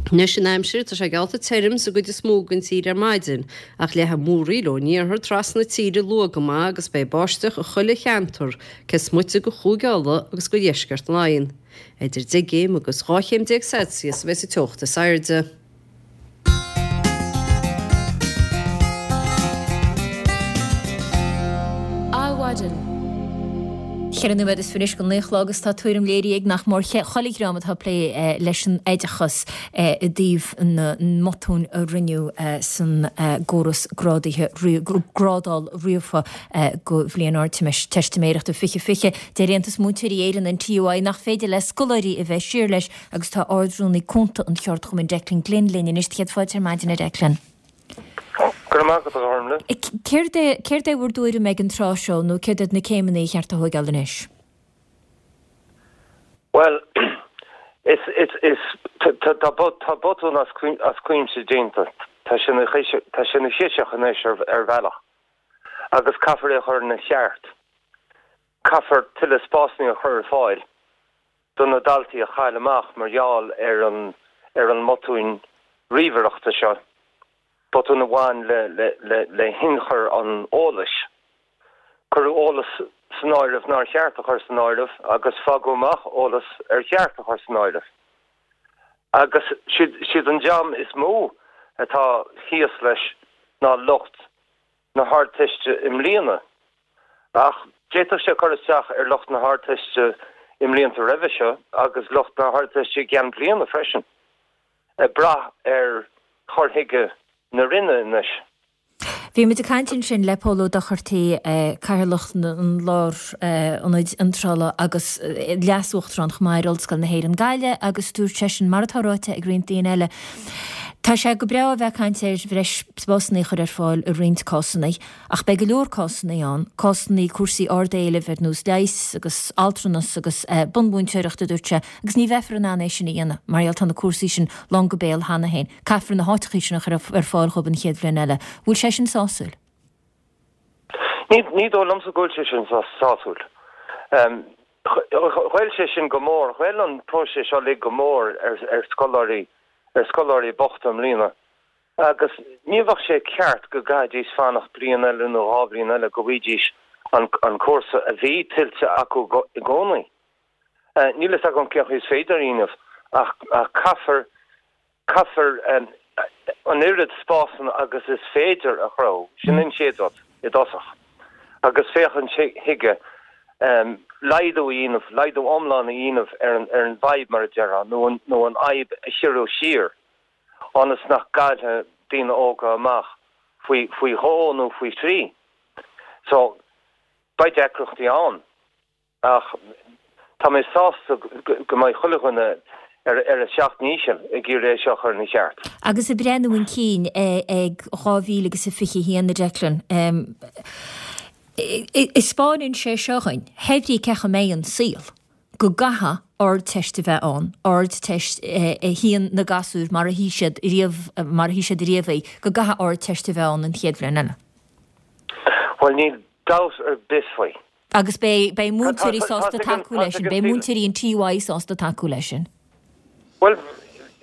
Anois an aimsir, tá sé geallta tirim sa gcuid is mó den tír ar maidin, ach leathfaidh múraíl ón iarthar trasna na tíre luath go maith agus beidh báisteach i chuile cheantar, cé is moite de Chúige Uladh agus de dheisceart Laighean. Idir 10 gcéim agus 12 chéim Celsius a bheas an teocht is airde. Adhmhaidin. Cheithre nóiméad is fiche anois go naoi a chlog agus tá tuairim léirithe ag nach mór chuile dhream atá ag plé leis an oideachas i dtaobh na mbotún a rinneadh san gcóras grádaithe, grádáil ríofa do bhliain Ardteistiméireachta 2020. Deir Aontas Múinteoirí Éireann, an TUI, nach féidir le scoláirí a bheith siar leis agus tá Ard-Rúnaí Cúnta an Cheardchumainn Declan Glynn linn anois. Céad fáilte ar maidin a Declan. Go raibh maith agat, a Ghormlaith. Céard é, céard é bhur dtuairim ag an tráth seo nó céard iad na céimeanna a cheart a thóigeáil anois? Bhuel, is, is, is, tá, tá botún as, as cuimse déanta. Tá sé ina, tá sé ina chiseach anois ar, ar bhealach agus caithfear é a chur ina cheart. Caithfear tuilleadh spásanna a chur ar fáil do na daltaí a chaill amach mar gheall ar an ar an mbotún ríomhaireachta seo, botún a bhain le le le hionchur an eolais. Cuireadh eolas san áireamh nár cheart a chur san áireamh agus fágadh amach eolas ar cheart a chur san áireamh. Agus siad siad an dream is mó atá thíos leis ná lucht na hArdteiste i mbliana, ach d'fhéadfadh sé cur isteach ar lucht na hArdteiste i mblianta roimhe seo agus lucht na hArdteiste i gceann bliana freisin, ag brath ar chur chuige na Roinne anois. Bhí muid ag caint ansin le Pól Ó Dochartaigh, Cathaoirleach an Lárionaid Iontrála agus Leas-Uachtarán chomh maith ar Ollscoil na hÉireann Gaillimh agus dúirt seisean, mar atá ráite ag roinnt daoine eile, Tá sé go breá a bheith ag caint ar bhreis spásanna a chur ar fáil i roinnt cásanna, ach beidh go leor cásanna ann, cásanna cúrsaí ard-éilimh ar nós leighis agus altranas agus bunmhúinteoireacht, a dúirt sé, agus ní bheifear in ann é sin a dhéanamh mar gheall tá na cúrsaí sin lán go béal cheana féin. Caithfear na háiteachaí sin a chur ar fáil dhóibh an chéad bhliain eile. Bhfuil sé sin sásúil? Ní dóigh liomsa go bhfuil sé sin sásúil. Ghoill sé sin go mór, ghoill an próiseas seo uilig go mór ar scoláirí, ar scoláirí bochta i mbliana. Agus ní bheadh sé ceart go gcaithfidís fanacht bliain eile nó dhá bhliain eile go bhfaighidís an cúrsa a bhí tuillte acu i gcónaí. Níl fhios agam cén chaoi is féidir a dhéanamh ach caithfear, caithfear an oiread spásanna agus is féidir a chruthú. Sin an chéad rud. i dtosach agus féachaint chuige laghdú a dhéanamh, laghdú iomlán a dhéanamh ar an ar an bhfadhb mar a déarfá nó an nó an fhadhb a chiorrú siar ionas nach gcaillfidh daoine óga amach faoi faoi dhó nó faoi thrí. So, beidh deacrachtaí ann. Ach tá mé sásta go mbeidh chuile dhuine ar a seacht ndícheall ag iarraidh é seo a chur ina cheart. Agus ag breathnú chun cinn ag 2021, a Declan, 'spáineann sé seo dhuinn, hé brí cén chaoi a mbeidh an saol, go gcaithfidh Ardteist a bheith ann, Ardteist a shuíonn na gasúir mar a shuigh siad riamh, mar a shuigh siad riamh í, go gcaithfidh Ardteist a bheith ann an chéad bhliain eile. Bhuel, níl dabht ar bith faoi. Agus beidh, beidh múinteoirí sásta tacú leis sin, beidh múinteoirí an TUI sásta tacú leis sin. Bhuel,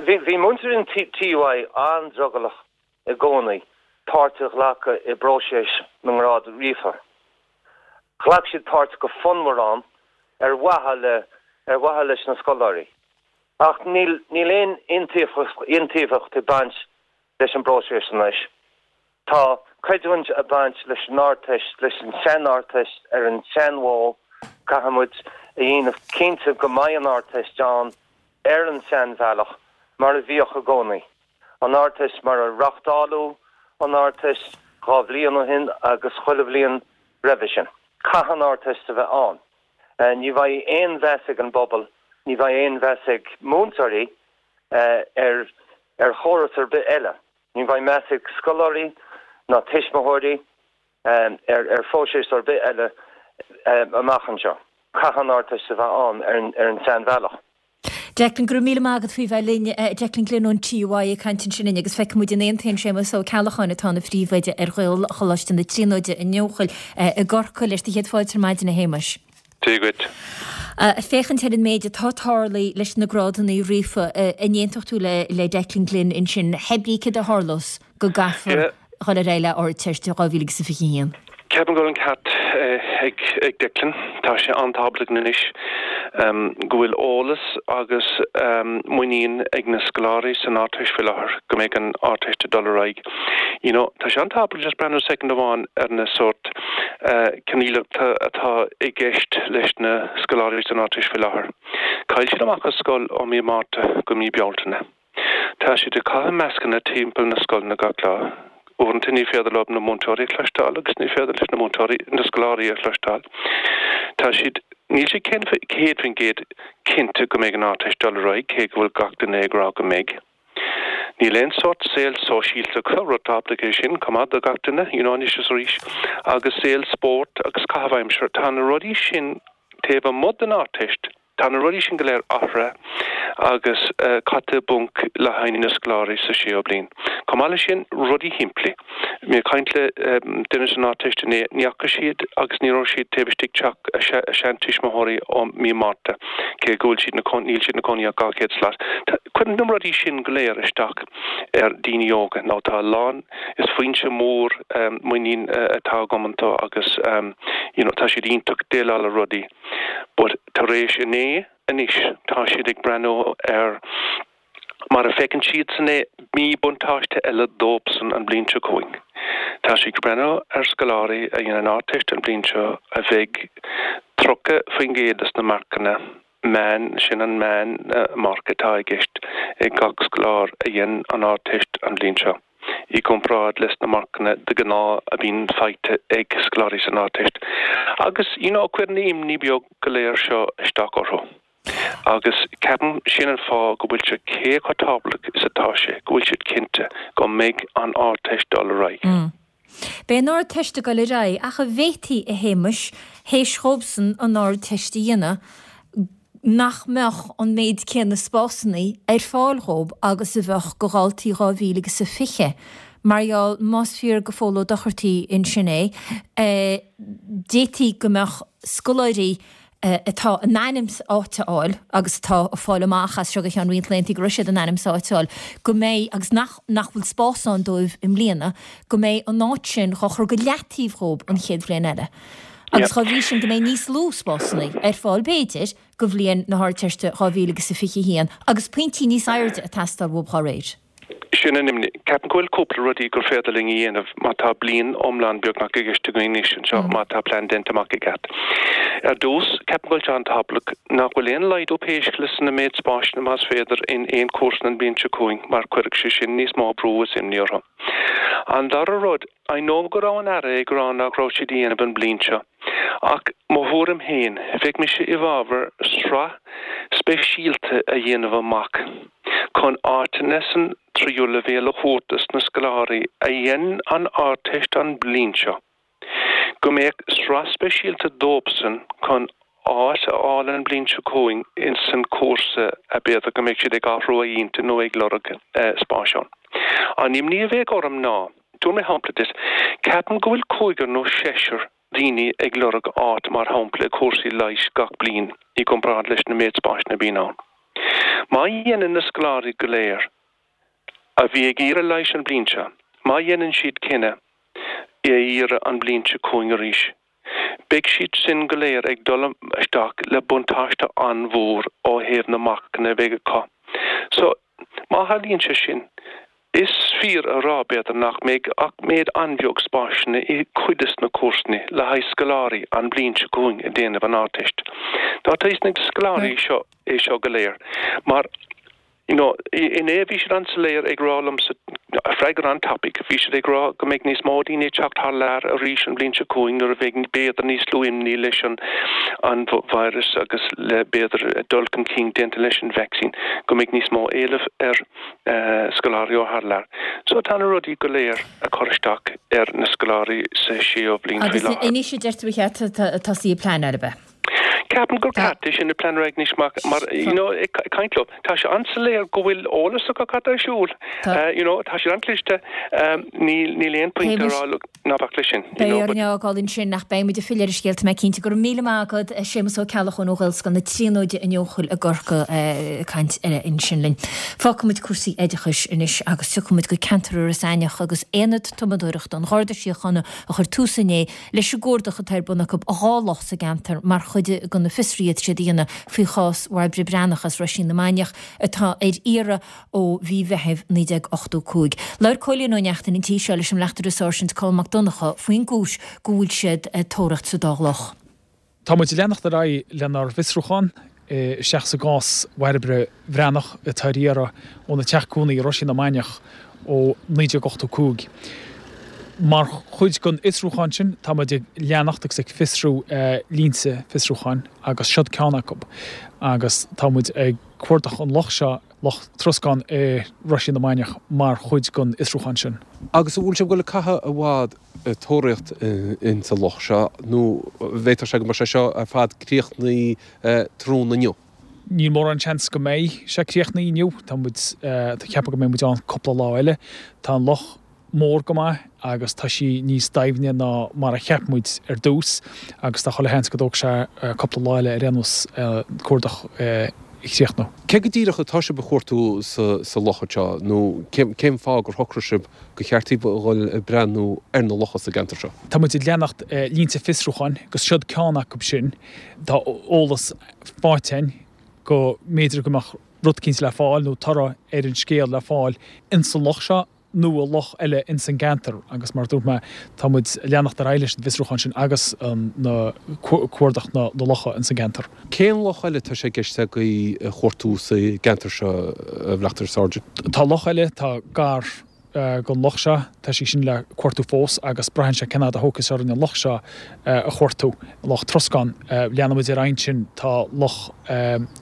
bhí, bhí múinteoirí an TUI an-drogallach i gcónaí páirt a ghlacadh i bpróiseas na ngrád ríofa. Ghlac siad páirt go fonnmhar ann ar mhaithe le, ar mhaithe leis na scoláirí. Ach níl, níl aon iontaofacht, iontaofacht ag baint leis an bpróiseas anois. Tá creidiúint ag baint leis an Ardteist, leis an sean-Ardteist ar an seanmhodh. Caithfidh muid a dhéanamh cinnte go mbeidh an Ardteist ann ar an seanbhealach, mar a bhíodh i gcónaí. An Ardteist mar a reáchtáladh an Ardteist 2 bhliain ó shin agus chuile bhliain roimhe sin. Caithfidh an Ardteist a bheith ann. Ní bheidh aon mheas ag an bpobal, ní bheidh aon mheas ag múinteoirí ar ar chóras ar bith eile. Ní bheidh meas ag scoláirí ná tuismitheoirí ar phróiseas ar bith eile amach anseo. Caithfidh an Ardteist a bheith ann ar an seanbhealach. Declan, go raibh míle maith agat faoi bheith linn. Declan Glynn ón TUI ag caint ansin linn agus feicfidh muid an aontaíonn Séamus Ó Ceallacháin atá ina phríomhoide ar Ghaelcholáiste na Tríonóide i nEochaill i gCorcaigh leis. Do chéad fáilte ar maidin a Shéamais. Dia dhuit. Féachaint ar an méid atá tarlaithe leis na grádanna ríofa, an aontódh tú le Declan Glynn ansin, hé brí céard a tharlós go gcaithfear dhul ar aghaidh le Ardteist 2021? Ceapaim go bhfuil an ceart ag Declan. Tá sé an-tábhachtach anois go bhfuil eolas agus muinín ag na scoláirí san Ardteist faoi láthair go mbeidh an Ardteist ag dul ar aghaidh. You know, tá sé an-tábhachtach just breathnú soicind amháin ar na sórt coinníollacha atá i gceist leis na scoláirí san Ardteist faoi láthair. Chaill siad amach as scoil ó mí Márta go mí Bealtaine. Tá siad ag caitheamh mascanna timpeall na scoileanna gach lá. Uaireanta ní féidir leo na múinteoirí a chloisteáil agus ní féidir leis na múinteoirí na scoláirí a chloisteáil. Tá siad, níl siad 100% cinnte go mbeidh an Ardteist dul ar aghaidh cé go bhfuil gach duine ag rá go mbeidh. Níl aon sórt saol sóisialta acu, rud tábhachtach é sin chomh maith do gach duine, you know, anois is arís, agus saol spóirt agus caitheamh aimsire, tá na rudaí sin taobh amuigh den Ardteist, tá na rudaí sin go léir athraithe agus caite i bponc le haghaidh na scoláirí sa séú bliain. Chomh maith leis sin, rudaí shimplí. Bhí mé ag caint le duine san Ardteist inné, ní fhaca siad agus ní raibh siad taobh istigh teach a seantuismitheoirí ó mí Márta, cé go bhfuil siad ina níl siad ina cónaí ach 200 slat. Cuireann na rudaí sin go léir isteach ar daoine óga. Now tá a lán, is foinse mór muinín atá agam iontu agus you know tá siad iontach déileáil le rudaí but tar éis inné anois tá siad ag breathnú ar Mar a feiceann siadsan é, míbhuntáiste eile dóibhsan an bhliain seo chugainn. Tá siad ag breathnú ar scoláirí a dhein an Ardteist an bhliain seo a bheidh 30% des na marcanna meán, sin an meán marc atá i gceist ag gach scoláire a dhein an Ardteist an bhliain seo, i gcomparáid leis na marcanna de ghnáth a bhíonn faighte ag scoláirí san Ardteist. Agus, you know, cuireann na imní beag go léir seo isteach orthu. Agus ceapaim sin an fáth go bhfuil sé cé chomh tábhachtach is atá sé go bhfuil siad cinnte go mbeidh an Ardteist dul ar aghaidh. Beidh an Ardteist ag dul ar aghaidh, ach an bhféadfaí, a Shéamais, théis dhóibhsan an Ardteist a dhéanamh, nach mbeadh an méid céanna spásanna ar fáil dhóib agus a bheadh go dhaltaí 2020? Mar gheall, más fíor go Phól Ó Dochartaigh ansin é, d'fhéadfaí go mbeadh scoláirí atá in ainm 's áit a fháil agus atá ag fáil amach as seo go ceann roinnt laethanta go raibh siad in ainm 's áit a fháil, go mbeidh, agus nach, nach bhfuil spás ann dóibh i mbliana, go mbeidh an áit sin dhá chur go leataobh dhóib an chéad bhliain eile. Agus dhá bhrí sin go mbeidh níos lú spásanna ar fáil b'fhéidir go bhliain na hArdteiste 2021 agus pointí níos airde ag teastáil uathub dhá réir. Sin an imní. Ceapaim go bhfuil cúpla rudaí gur féidir linn a dhéanamh má tá bliain iomlán beagnach i gceist againn anois anseo, má tá plean déanta amach i gceart. Ar dtús, ceapaim go bhfuil sé an-tábhachtach nach bhfuil aon laghdú pé scéal é sna méid spáiseanna más féidir in aon cúrsa an bhliain seo chugainn mar cuirfidh sé sin níos mó brú is imní orthu. An dara rud, I know go raibh an Aire ag rá nach raibh siad a dhéanamh an bliain seo, ach mo thuairim féin, bheadh mise i bhfabhar sraith speisialta a dhéanamh amach chun áiteanna san tríú leibhéal a thabhairt dos na scoláirí a dhein an Ardteist an bliain seo. Go mbeadh sraith speisialta dóibhsan chun áit a fháil an bliain seo chugainn ins an cúrsa a b'fhéidir go mbeidh siad ag athrú a intinn nó ag lorg spáis ann. An imní a bheadh orm ná, tabharfaidh mé shampla duit, ceapaim go bhfuil cúigear nó seisear daoine ag lorg áit mar shampla i cúrsaí leighis gach bliain i gcomparáid leis na méid spáiseanna a bhíonn ann. Má dhéanann na scoláirí go léir a bhí ag iarraidh leighis an bliain seo, má dhéanann siad cinneadh é a iarraidh an bliain seo chugainn arís, Beidh siad sin go léir ag dul isteach le buntáiste an-mhór ó thaobh na marcanna a bheidh acu. So, má tharlaíonn sé sin, is fíor a rá, b'fhéidir, nach mbeidh ach méid an-bheag spáiseanna i cuid des na cúrsaí le haghaidh scoláirí an bliain seo chugainn ag déanamh an Ardteist. Tá a fhios ag na scoláirí seo é seo go léir mar You know, inné bhí siad an-soiléir ag rá liomsa, freagra an-tapaidh, bhí siad ag rá go mbeidh níos mó daoine ag teacht thar lear arís an bhliain seo chugainn nuair a bheidh b'fhéidir níos lú imní leis an an virus agus le b'fhéidir dul chun cinn déanta leis an vacsaín, go mbeidh níos mó éileamh ar scoláirí ó thar lear. So tá na rudaí go léir ag cur isteach ar na scoláirí sa séú bliain faoi Agus láthair. anois a deir tú ba cheart tosaí ag pleanáil, ab ea? Ceapaim gur ceart é sin a pleanáil anois mar you know ag caint leo tá sé an-soiléir go bhfuil eolas acu cad tá ar siúl you know tá siad an-chliste níl níl aon pointe a rá look ná bac leis sin you know but. Beidh orainn é a fhágáil ansin ach beidh muid ag filleadh ar an scéal tá mé cinnte. Go raibh míle maith agat a Séamus Ó Ceallacháin ó Ghaelscoil na Tríonóide in Eochaill i gCorcaigh ag caint ansin linn. Fágfaidh muid cúrsaí oideachais anois agus tiocfaidh muid go ceantar Iorras Aithneach agus Aonad Tumadóireachta an Gharda Síochána a chuir tús inné leis an gcuardach atá ar bun acu i 2 loch sa gceantar mar chuid de na fiosruithe atá siad a dhéanamh faoi chás Bhairbre Breathnach as Roisín na Mainiach atá ar iarraidh ó mhí Mheithimh 1985. Labhair Cóilín Ó Neachtain an tí seo leis an mBleachtaire Sáirsint Colm Mac Donncha faoin gcúis go bhfuil siad ag tóraíocht sa dá loch. Tá muid ag leanacht ar aghaidh lenár bhfiosrúchán isteach sa gcás Bhairbre Bhreathnach atá ar iarraidh óna teach cónaí i Roisín na Mainiach ó 1985. Mar chuid den fhiosrúchán sin tá muid ag leanacht agus ag fiosrú línte fiosrúcháin agus siod ceann acu agus tá muid ag cuardach an loch seo, Loch Troscán i Roisín na Mainiach mar chuid den fhiosrúchán sin. Agus an bhfuil sibh ag dul ag caitheamh i bhfad ag tóraíocht insa loch seo nó bhféadfadh sé go mbeadh sé seo ar fad críochnaithe tráthnóna inniu? Níl mórán seans go mbeidh sé críochnaithe inniu. Tá muid ag ceapadh go mbeidh muid ann cúpla lá eile. Tá an loch mór go maith agus tá sí níos doimhne ná mar a cheap muid ar dtús agus tá chuile sheans go dtógfaidh sé cúpla lá eile ar aon nós an cuardach a chríochnú. Cé go díreach atá sibh a chuartú sa loch anseo nó cén fáth gur shocraigh sibh gur cheart daoibh a dhul ag breathnú ar na locha sa gceantar seo? Tá muid ag leanacht línte fiosrúcháin agus siod ceann acu sin. Tá eolas faighte againn go mb'fhéidir go mbeadh rud eicínt le fáil nó toradh ar an scéal le fáil insa loch seo nó i loch eile ins an gceantar agus mar a dúirt mé tá muid ag leanacht ar aghaidh leis an bhfiosrúchán sin agus na cuardach na locha ins an gceantar. Cén loch eile atá sé i gceist agaibh a chuartú sa gceantar seo, a Bhleachtaire Sáirsint? Tá loch eile atá gar don loch seo, tá sí sin le cuartú fós agus braitheann sé cén fhad a thógfaidh sé orainn an loch seo a chuartú, Loch Troscán. Leanfaidh muid ar aghaidh ansin, tá Loch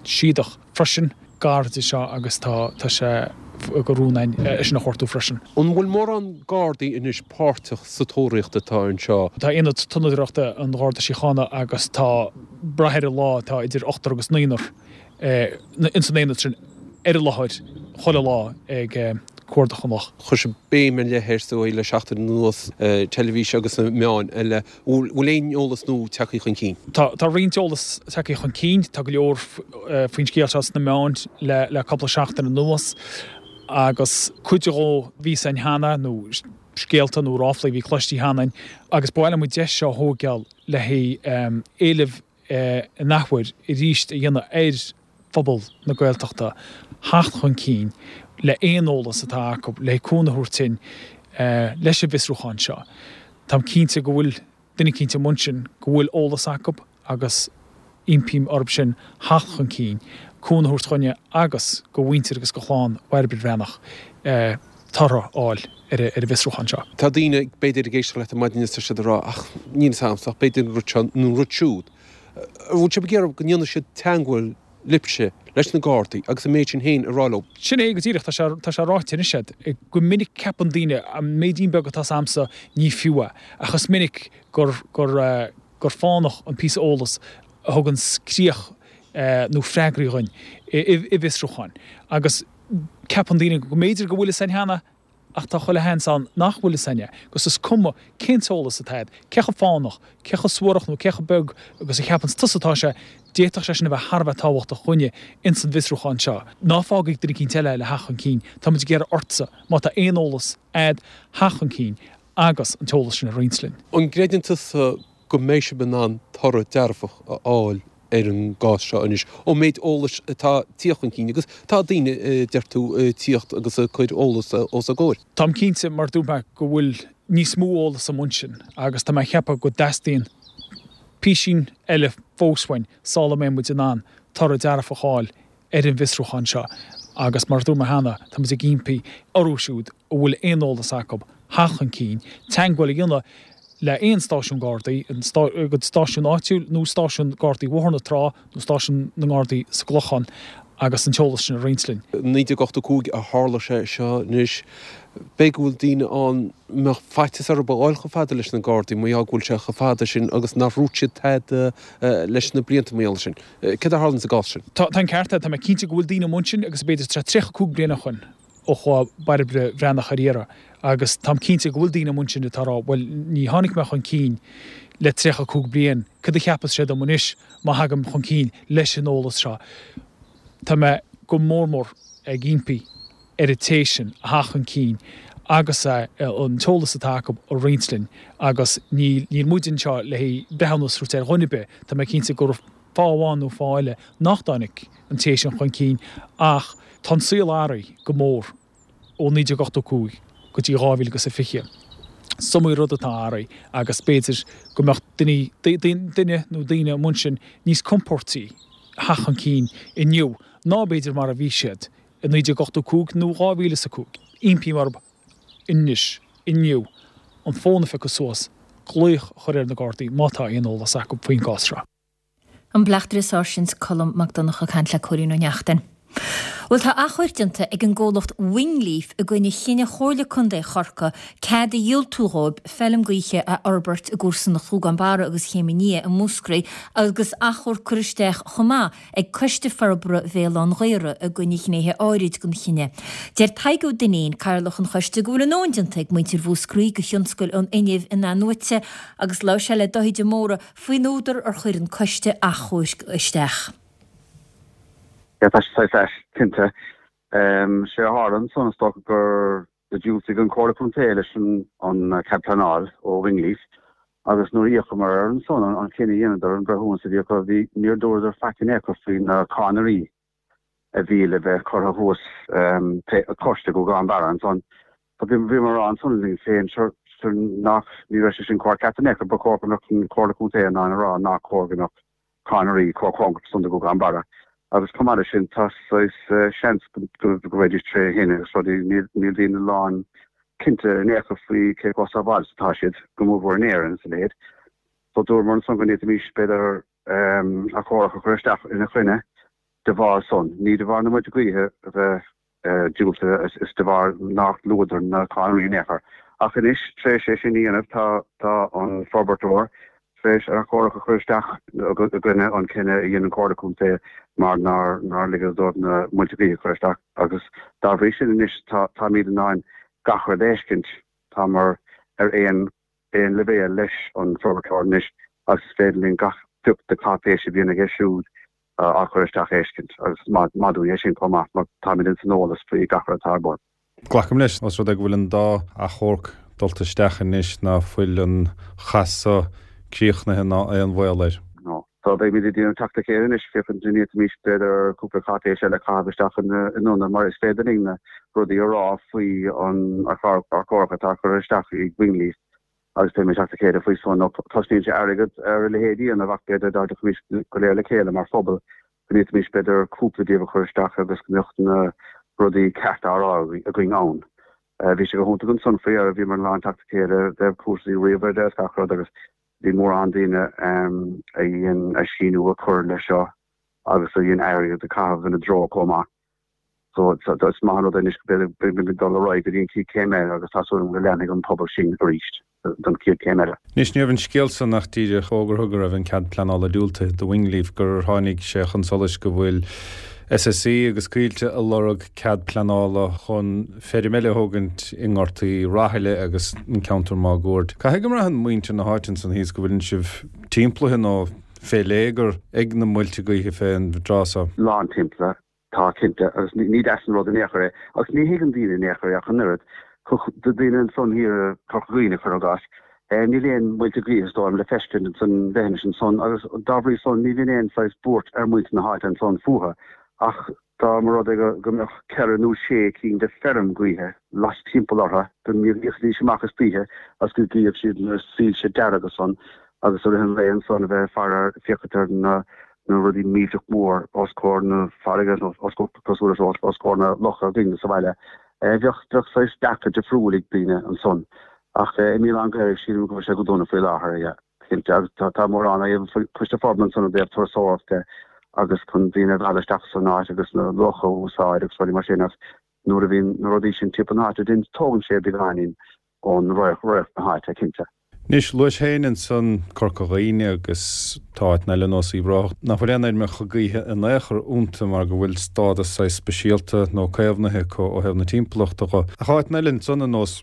Síodach freisin gar de seo agus tá tá sé de rún againn é sin a chuartú freisin. An bhfuil mórán Gardaí anois páirteach sa tóraíocht atá anseo? Tá Aonad Tonnadóireachta an Gharda Síochána agus tá brath ar an lá, tá idir ochtar agus naonúr ins an aonad sin ar an láthair chuile lá ag cuardach an loch. Chuir sibh béim ar leith air is dóigh le seachtain anuas, teilifís agus na meáin eile. Bhfuil aon eolas nua tagtha chun cinn? Tá roinnt eolas tagtha chun cinn. Tá go leor faoin scéal seo sna meáin le cúpla seachtain anuas agus cuid dhó bhí a fhios againn cheana, nó scéalta nó ráflaí a bhí cloiste cheana againn agus ba mhaith liom an deis seo a thóigeáil le haghaidh éileamh in athuair arís a dhéanamh ar phobal na Gaeltachta theacht chun cinn. le aon eolas atá acu le cúnamh a thabhairt dúinn leis an bhfiosrúchán seo. Táim cinnte go bhfuil duine eicínt amuigh ansin go bhfuil eolas acu agus impím orthu sin theacht chun cinn, cúnamh a thabhairt dhúinne agus do mhuintir agus do chlann Bhairbre Bhreathnach toradh a fháil ar an bhfiosrúchán seo. Tá daoine, b'fhéidir, ag éisteacht leat ar maidin is tá siad ag rá ach níl fhios a'msa ach b'fhéidir an rud seo nó an rud siúd. An bhfuil sibh ag iarraidh go ndéanfaidh siad teangmháil libhse, leis na Gardaí agus an méid sin féin a rá leo? Sin é go díreach, tá sé, tá sé ráite anois a'd. Go minic ceapann daoine, an méidín beag atá 's a'msa ní fiú é. Ach is minic gur, gur, gur fánach an píosa eolas a thuganns críoch nó freagraí dhuinn i bhfiosrúcháin. Agus ceapann daoine go mb'fhéidir go bhfuil fhios a'inn cheana ach tá chuile sheans ann nach bhfuil fhios a'inn é, agus is cuma cén t-eolas atá a'd, cé chomh fánach, cé chomh suarach nó cé chomh beag agus a cheapanns tusa atá sé, d'fhéadfadh sé sin a bheith thar a bheith tábhachtach dhúinne ins an bhfiosrúchán seo. Ná fág ag duine eicínt eile le theacht chun cinn, tá muid ag iarraidh ortsa, má tá aon eolas a'd, theacht chun cinn agus an t-eolas sin a roinnt linn. An gcreideann tusa go mbeidh sibh in ann toradh dearfach a fháil ar an gcás seo anois, ón méid eolais atá tíocht chun cinn, agus tá daoine, deir tú, ag tíocht agus ag cur eolas os a gcomhair. Táim cinnte, mar dúirt mé, go bhfuil níos mó eolas amuigh ansin agus tá mé ag ceapadh go dteastaíonn písín eile fós uainn sula mbeidh muid in ann toradh dearfach a fháil ar an bhfiosrúchán seo agus mar a dúirt mé cheana, tá muid ag impí orthu siúd a bhfuil aon eolas acu theacht chun cinn, teagmháil a dhéanamh le aon stáisiún Gardaí, an stáisiún áitiúil nó stáisiún Gardaí Bhóthar na Trá nó stáisiún na nGardaí sa gClochán agus an t-eolas sin a roinnt linn. 1985 a tharla sé seo anois. B'fhéidir go bhfuil daoine ann a mbeadh faitíos orthu a ghabháil chomh fada leis na Gardaí mar gheall go bhfuil sé chomh fada sin agus nár dhúirt siad tada leis na blianta mar gheall air sin. Céard a tharlaíonn sa gcás sin? Tá an ceart agat, tá mé cinnte go bhfuil daoine amuigh ansin agus b'fhéidir tá 35 bliain ó shoin ó chuaigh Bairbre Bhreathnach ar iarraidh agus táim cinnte go bhfuil daoine amuigh ansin atá ag rá bhuel ní tháinig mé chun cinn le 35 bliain, cad a cheapfas sé dom anois má thagaim chun cinn leis an eolas seo? Tá mé go mór mór ag impí ar an té sin a theacht chun cinn agus an t-eolas atá acu a roinnt linn agus níl níl muid anseo le haghaidh breithiúnas a thabhairt ar dhuine ar bith, tá mé cinnte go raibh fáth amháin nó fáth eile nach dtáinig an té sin chun cinn ach tá an saol athraithe go mór ó 1985 go dtí 2020. Is iomaí rud atá athraithe agus b'fhéidir go mbeadh duine duine nó daoine amuigh ansin níos compóirtí theacht chun cinn inniu ná b'fhéidir mar a bhí siad i 1985 nó 2005. Impím orthu anois, inniu, an fón a phiocadh suas, glaoch a chur ar na Gardaí má tá aon eolas acu faoin gcás seo. An Bleachtaire Sáirsint Colm Mac Donncha ag caint le Cóilín Ó Neachtain. Bhuel tá achomharc déanta ag an gcomhlacht Wingleaf i gcoinne chinneadh Chomhairle Contae Chorcaí cead a dhiúltú dhóibh feilm gaoithe a fhorbairt i gcomharsanacht Ghúgán Barra agus Chéim an Fhia i Múscraí agus achomharc curtha isteach chomh maith ag Coiste Forbartha Bhéal Átha'n Ghaorthaidh i gcoinne ghnéithe áirid den chinneadh. Deir Tadhg Ó Duinnín, Cathaoirleach an Choiste, go bhfuil a ndóthain déanta ag muintir Mhúscraí do thionscal an fhuinnimh in-athnuaite agus labhair sé le Dáithí de Mórdha faoin údar ar chuir an Coiste achomhairc isteach. Yeah, tá sé saghas ait, cinnte. Sé a tharla ansan is dócha gur diúltaigh an Comhairle Contae leis an cead pleanáil ó Wingleaf agus nuair a fhéachamar air ansan, an cinneadh a dheineadar, an breithiúnas a bhí acu, bhí, níor dúradar faic in aon chor faoi na cadhnraí a bhí le bheith curtha thuas cois de Ghúgán Barra ansan. So bhí, bhíomar a rá ansan linn féin, sure, sure nach, ní raibh sé sin cóir ceart in aon chor, ba chóir go mbeadh an Comhairle Contae in ann a rá nach cóir go mbeadh cadhnraí chomh cóngarach san do Ghúgán Barra. Agus chomh maith leis sin, tá saghas seans go mbeidís tré thine agus rudaí, níl daoine lán cinnte in aon chor faoi cé chomh sábháilte is atá siad, go mórmhór in Éirinn is a leithéid. So dúramar ansan go ndéanfaimis, b'fhéidir, achomharc a chur isteach ina choinne de bharr san, ní de bharr na muilte gaoithe a bheith diúltaithe is de bharr nár luadar na cadhnraí in aon chor. Ach anois, tar éis é sin a dhéanamh, tá tá an forbartóir tar éis achomharc a chur isteach i gcoinne an cinneadh a dhein an Comhairle Contae mar nár nár ligeadh dóibh na muilte gaoithe a chur isteach agus dá bhrí sin anois tá táimid in ann gach rud a fheiscint. Támar ar aon aon leibhéal leis an forbartóir anois agus is féidir linn gach pioc de cáipéis a bhíonn aige siúd á chur isteach a fheiscint agus is maith dúinn é sin chomh maith mar táimid ins an eolas faoi gach rud atá ar bun. Glacaim leis, os rud é go bhfuil an dá achomharc dulta isteach anois, ná fuil an chas so críochnaithe ná aon bhaol air. No. So beimid ag déanamh teacht le chéile anois féachaint an bhféadfaimis b'fhéidir cúpla cáipéis eile a chaitheamh isteach in ionad mar is féidir linn na rudaí a rá faoi an achomharc atá curtha isteach ag Wingleaf agus beimid ag teacht le chéile faoi san. Nó cosnaíonn sé airgead ar a leithéid a dhéanamh ach b'fhéidir dá dtiocfaimis go léir le chéile mar phobal go bhféadfaimis b'fhéidir cúpla díobh a chur isteach agus go mbeadh na rudaí cearta á rá againn ann. Bhí sé go hiontach ansan faoi dheireadh, bhíomar in ann teacht le chéile i dtaobh cúrsaí ríomhaire de is gach rud agus Bhí mórán daoine a dhein a síniú a chur leis seo agus a dhein airgead a chaitheamh ina dtreo chomh maith. So is maith an rud é anois go mbeimid ag dul ar aghaidh go dtí an chéad chéim eile agus tá súil agam go leanfaidh an pobal sinn arís don chéad chéim eile. Anois ní raibh an scéal san ach díreach fógartha go raibh an cead pleanála diúltaithe do Wingleaf gur tháinig sé chun solais go bhfuil SSE agus Coillte ag lorg cead pleanála chun feirm eile a thógaint i nGort Uí Rathaille agus an ceantar máguaird. Caithfidh go mbraitheann muintir na háite ansan thíos go bhfuileann sibh timplaithe nó fé léigear ag na muilte gaoithe fén dtráth so. Lán timplaithe, tá cinnte, agus ní deas an rud in aon chor é. Agus ní thuigeann daoine in aon chor é ach an oiread. Do daoine ansan thiar i Corca Dhuibhne, cuir i gcás, níl aon muilte gaoithe is dóigh liom le feiscint ansan leithinis ansan agus dá bhrí san ní bhíonn aon saghas buairt ar muintir na háite ansan fúthu ach Dá mba rud é go mbeadh ceithre nó sé cinn de feirm gaoithe last-timpeall orthu, go n-éireoidís amach istoíche agus go gcífeadh siad na soilse dearga san agus i rith an lae ansan a bheith ag faire ar, féachaint ar na rudaí millteach mór os comhair na farraige nó os cosúil leis os comhair na locha againne sa bhaile. Bheadh, bheadh saghas dearcadh difriúil ag daoine ansan. Ach i mBéal Átha an Ghaorthaidh sílim go bhfuil sé go dona faoi láthair, yeah. Cinnte, agus tá mórán á dhéanamh Coiste Forbartha ansan i dtaobh turasóireacht de agus chun daoine a mhealladh isteach san áit agus na locha a úsáid agus rudaí mar sin ach nuair a bhíonn na rudaí sin timpeall na háite then tógann sé beagáinín ón radharc na háite, cinnte. Anois, luais féin ansan Corca Dhuibhne agus tá áiteanna eile ar nós Uíbh Ráthach nach bhfuil aon fheirmeacha gaoithe in aon chor iontu mar go bhfuil stádas saghas speisialta nó caomhnaithe acu ó thaobh na timpeallachta dho. Ach áiteanna eile ansan ar nós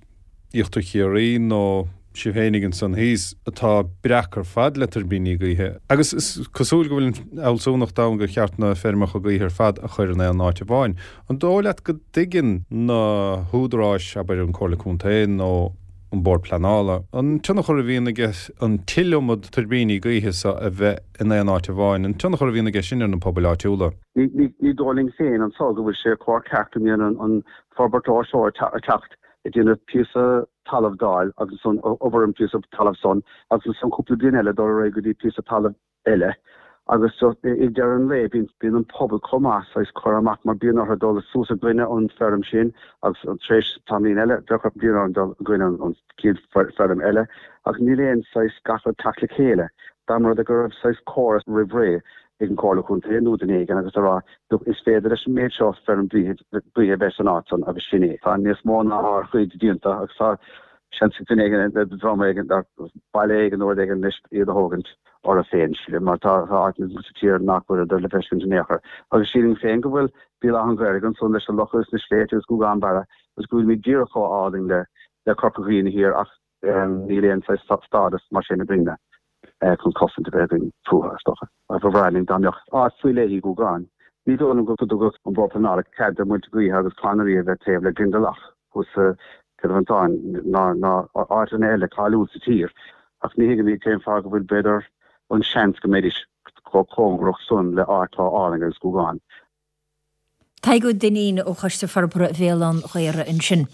Íochtar Chiarraí nó sibh fhéinig ansan thíos, atá breac ar fad le tuirbíní gaoithe. Agus is cosúil go bhfuil an fhealsúnacht ann gur cheart na feirmeacha gaoithe ar fad a chur in aon áit amháin. An dóigh leat go dtuigeann na húdaráis, abair an Comhairle Contae nó an Bord Pleanála, an tionchar a bhíonn aige an t-iliomad tuirbíní gaoithe so a bheith in aon áit amháin, an tionchar a bhíonn aige sin ar na pobail áitiúla? Ní dóigh linn féin anso go bhfuil sé chóir ceart go mbíonn an forbairt seo ag teacht ag déanamh píosa talaimh d'fháil agus ansan obair an píosa talaimh san agus ansan cúpla bliain eile dul ar aghaidh go dtí píosa talaimh eile agus just ag deireadh an lae bíonn bíonn an pobal chomh maith saghas curtha amach mar bíonn orthu dul suas i gcoinne an feirm sin agus tar éis tamaillín eile bheadh bíonn orthu dul i gcoinne an chéad feirm eile agus níl aon saghas gach rud teacht le chéile dá mba rud é go raibh saghas córas roimh ré ag an Chomhairle Contae nó duine éigin agus a rá look is féidir leis an méid seo feirm gaoithe a bheith san áit san agus sin é. Tá níos mó ná ár gcuid déanta agus tá seans ag duine éigin, dream éigin, baile éigin nó rud éigin anois iad a thógaint orthu féin, sílim, mar tá áiteanna sa tír nach bhfuil le feiscint in aon chor. Agus sílim féin go bhfuil Béal Átha an Ghaorthaidh ansan leis na locha is na sléibhte agus Gougane Barra agus go bhfuilimid díreach chomh álainn le Corca Dhuibhne thiar ach Níl aon saghas stádas mar sin againne chun cosaint a bheith againn fúthu, is dócha. Ba bhreá linn dá mbeadh áit faoi leith i nGúgán. Ní dóigh liom go dtugadh an Bord Pleanála cead do mhuilte gaoithe agus conairí a bheith taobh le Glendalough thuas sa Chill Mhantáin ná ná áiteanna eile cáiliúil sa tír ach ní thuigim cén fáth go bhfuil b'fhéidir an seans go mbeidís chomh cóngarach san le áit chomh álainn agus Gúgán. Tadhg Ó Duinnín ó Choiste Forbartha Bhéal Átha an Ghaorthaidh ansin.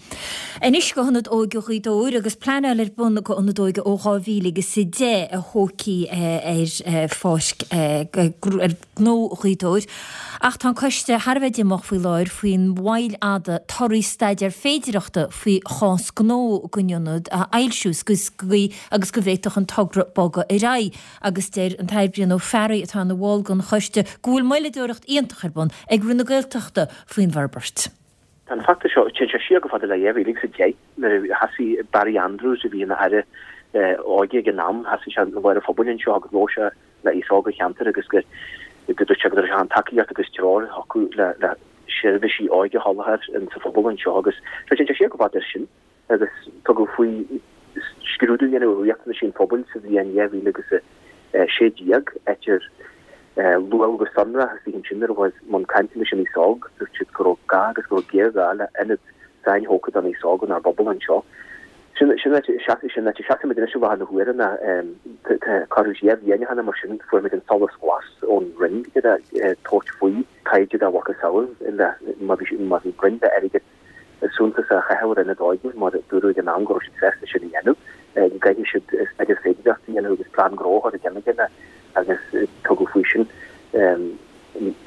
Anois go hIonad Óige Ghaoth Dobhair agus pleanáil ar bun go Ionad Óige ó 2010 a thógfaí ar pháirc ar ghnó Ghaoth Dobhair. Ach tá an coiste thar a bheith díomách faoi láthair faoin mhoill fhada torthaí staidéar féidireachta faoi chás gnó don ionad a fhoilsiú agus go bhféadfadh an togra bogadh ar aghaidh. Agus deir an tAthair Brian Ó Fearraigh, atá ina bhall den choiste, go bhfuil moilleadóireacht iontach ar bun ag Roinn na Gaeltachta faoin bhforbairt. Tá an feachtas seo, téann sé siar go fada le 2010 nuair a thosaigh Barry Andrews, a bhí ina Aire Óige ag an am, thosaigh sé ina lár an phobail anseo agus labhair sé le aos óg an cheantair agus go dúirt sé go raibh sé chun tacaíocht agus treoir a thabhairt le le seirbhísí óige a sholáthar sa phobal anseo agus téann sé siar go fada leis sin. agus tugadh faoi scrúdú a dhéanamh ar riachtanaisí an phobail sa bhliain 2016, áit ar luadh go sonrach istigh ansin nuair a chuathas i mbun cainte leis an aos óg, dúirt siad go raibh gá agus go raibh géarghá le ionad sainthógtha don aos óg inár bpobal anseo. Sin sin áit sin áit a seasaimid anois i láthair na huaire ná tá corradh 2 bhliain cheana mar sin fuair muid an solas glas ón Roinn le tabhairt faoi taighde dá mhacasamhail le má bhí má bhí Roinn le airgead suntasach a chaitheamh ar ionad óige mar a dúradh ag an am go raibh siad sásta sin a dhéanamh go gcaithfidh siad staidéar féidearthachta a dhéanamh agus plean gnó a chur i gceann a chéile agus tugadh faoi sin.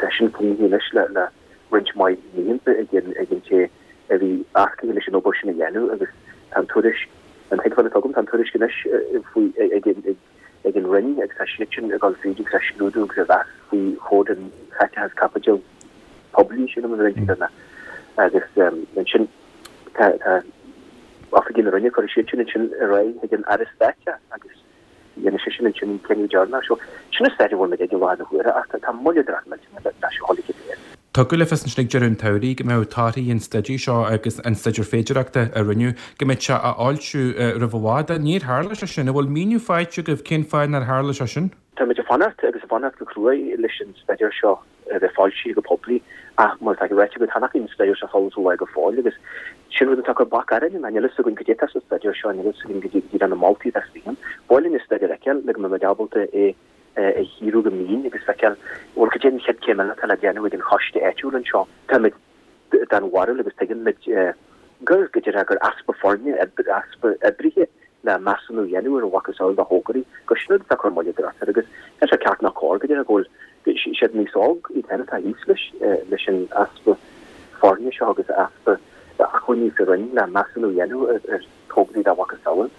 Tá sin críochnaithe anois le roinnt mhaith míonna ag an té a bhí earcaithe leis an obair sin a dhéanamh agus tá an tuairisc, an tuigbheáil atá agam, tá an tuairisc anois faoi ag an Roinn agus tá siad sin ag dul fríd agus á scrúdú agus á mheas faoi chomhair an chaiteachas caipitil poiblí sin an Roinn céanna agus ansin tá oifigigh na Roinne cuirfidh siad sin ansin ar aghaidh chuig an Aire Stáit agus Dhéanfaidh seisean ansin an cinneadh deireanach. So, sin an staid a bhfuil muid ag i láthair na huaire ach tá moilleadóireacht millteanach leis seo a dhul go léir. Tugadh le fios ansin ag deireadh an tsamhraidh go mbeadh torthaí an staidéir seo agus an staidéar féidearthachta a rinneadh, go mbeadh sé á fhoilsiú roimh i bhfad. Níor tharla sé sin. An bhfuil míniú faighte agaibh cén fáth nár tharla sé sin? Táimid ag fanacht agus ag fanacht go cruaidh leis an staidéar seo. a bheith foilsithe go poiblí ach mar atá ráite agat, chan an staidéar seo fós go fóill agus sin rud atá ag cur bac orainn ná níl a fhios againn cad é atá sa staidéar seo, níl a fhios againn cad iad na moltaí atá istigh ann. Ba mhaith linn an staidéar a fheiceáil le go mbeidh muid ábalta é a chíoradh go mion agus feiceáil bhuel cad é an chéad chéim eile atá le déanamh ag an choiste áitiúil anseo. Táimid den bharúil agus tuigeann muid gur, go deimhin, gur easpa foirne, easpa oibrithe le measúnú a dhéanamh ar a mhacasamhail de thograí, gur sin rud atá ag cur moilleadóireacht air agus níl sé ceart ná cóir, go deimhin, go bhfuil siad an aos óg iad féin atá thíos leis, leis an easpa foirne seo agus easpa acmhainní sa Roinn le measúnú a dhéanamh ar thograí dá mhacasamhail.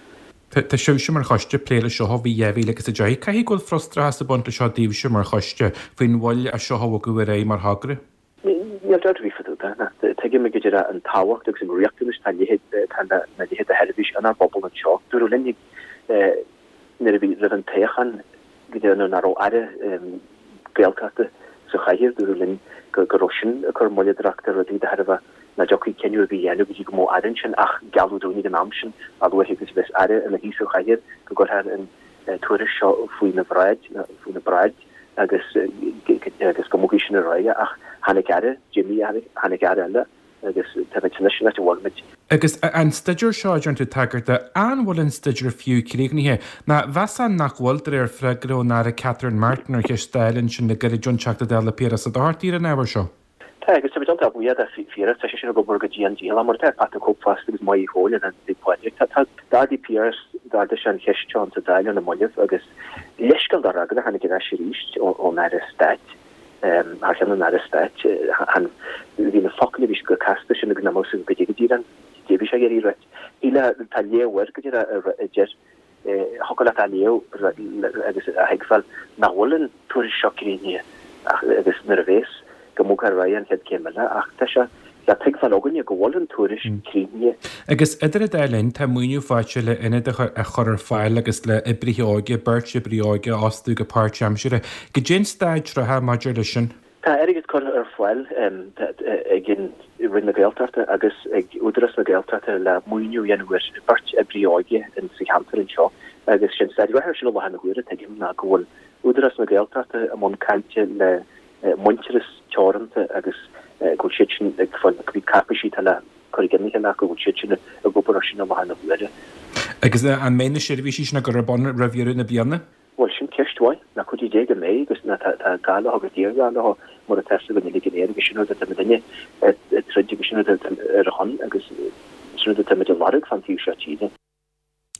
Tá sibhse mar choiste ag plé leis seo ó bhí 2010. Caithfidh go bhfuil frustrachas ag baint leis seo daoibhse mar choiste faoin mhoill é seo a bhogadh ar aghaidh mar thogra. Níl dabht ar bith fá dtaobh de. Tuigimid go díreach an tábhacht agus an riachtanas atá atá lena leithéid de sheirbhís inár bpobal anseo. Dúradh linn nuair a bhí roimh an toghchán go dtí nuair nach raibh Aire Gaeltachta sa chathaoir, dúradh linn go raibh sin ag cur moilleadóireacht ar rudaí de thairbhe nach dtiocfaí cinneadh ar bith a dhéanamh go dtí go mbeadh Aire ansin ach gealladh dúinn ag an am sin a luaithe agus a bheas Aire ina shuí sa chathaoir go gcuirfear an tuairisc seo faoina bhráid, faoina bráid. agus agus go mbogfaí sin ar aghaidh ach tháinig aire, d'imigh aire, tháinig aire eile agus táimid anois san áit a bhfuil muid. Agus an staidéar seo a dtéann tú tagairt dó, an bhfuil an staidéar fiú críochnaithe? Nó mheasfá nach bhfuil, de réir freagra ón Aire Catherine Martin ar cheist Dála ansin le gairid ón Teachta Dála Piaras Ó Dochartaigh ar an ábhar seo. Tá, agus táimid iontach buíoch de Phiaras, tá seisean ag obair go dian dícheallach, mar atá Pat the Cope fosta agus Maigh Chóil and Anthony Pádraig. Tá, tá, d'ardaigh Piaras, d'ardaigh sé an cheist seo insa Dáil ar na mallaibh agus leithscéal do fhreagra a tháinig ar ais arís ón Aire Stáit, thar cheann an Aire Stáit, chan, bhí na focail a bhí chomh casta sin agus nach mbeadh fhios agat goidé go díreach, goidé a bhí sé ag iarraidh a ráit. Shílfeá, tá léamh air go díreach a deir Thiocfadh leat a léamh agus a thuigbheáil nach bhfuil an tuairisc seo críochnaithe ach agus nuair a bhéas, go mbogfar ar aghaidh an chéad céim eile ach tá sé le tuigbheáil againne go bhfuil an tuairisc críochnaithe. Agus idir an dá linn, tá maoiniú faighte le ionad a chur ar fáil agus le oibrithe óige, beirt oibrí óige a fhostú go páirtaimseartha. Goidé an staid reatha maidir leis sin? Tá airgead curtha ar fáil ag Roinn na Gaeltachta agus ag Údarás na Gaeltachta le maoiniú a dhéanamh ar bheirt oibrí óige sa cheantar anseo agus sé an staid reatha air sin i láthair na huaire, tuigim, ná go bhfuil Údarás na Gaeltachta i mbun cainte le Muintearas Teoranta agus go bhfuil siad sin ag fáil cibé cáipéisí atá le cur i gcionn a chéile acu, go bhfuil siad sin ag obair air sin i láthair na huaire. Agus an mbeidh na seirbhísí sin á gcur ar bun roimh dheireadh na bliana? Bhuel, sin ceist mhaith. Ná cuid Dé go mbeidh agus ná tá gá leo agus géarghá leo mar atá fhios againn uilig go léir agus sin rud atá muidinne ag troid agus sin rud atá ar a shon agus sin rud atá muid ag lorg fán taobh seo tíre.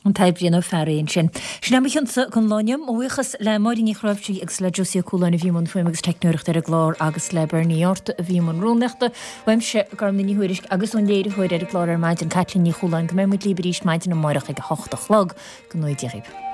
An tAire Brian Ó Fearraigh ansin. Sin é mo chionsa don lá inniu. Mo bhuíochas le Máirín Ní Chnáimhsí agus le Josie Ó Cualáin a bhí i mbun fuaime agus teicneoireachta ar an gclár agus le Bernie Arthur a bhí i mbun rúnaíochta. Uaimse, Gormlaith Ní Thuairisg agus ón léiritheoir ar an gclár ar maidin, Caitlín Ní Chualáin, go mbeidh muid libh arís maidin amárach ag a hocht a chlog. Go ngnóthaí Dia dhaoibh.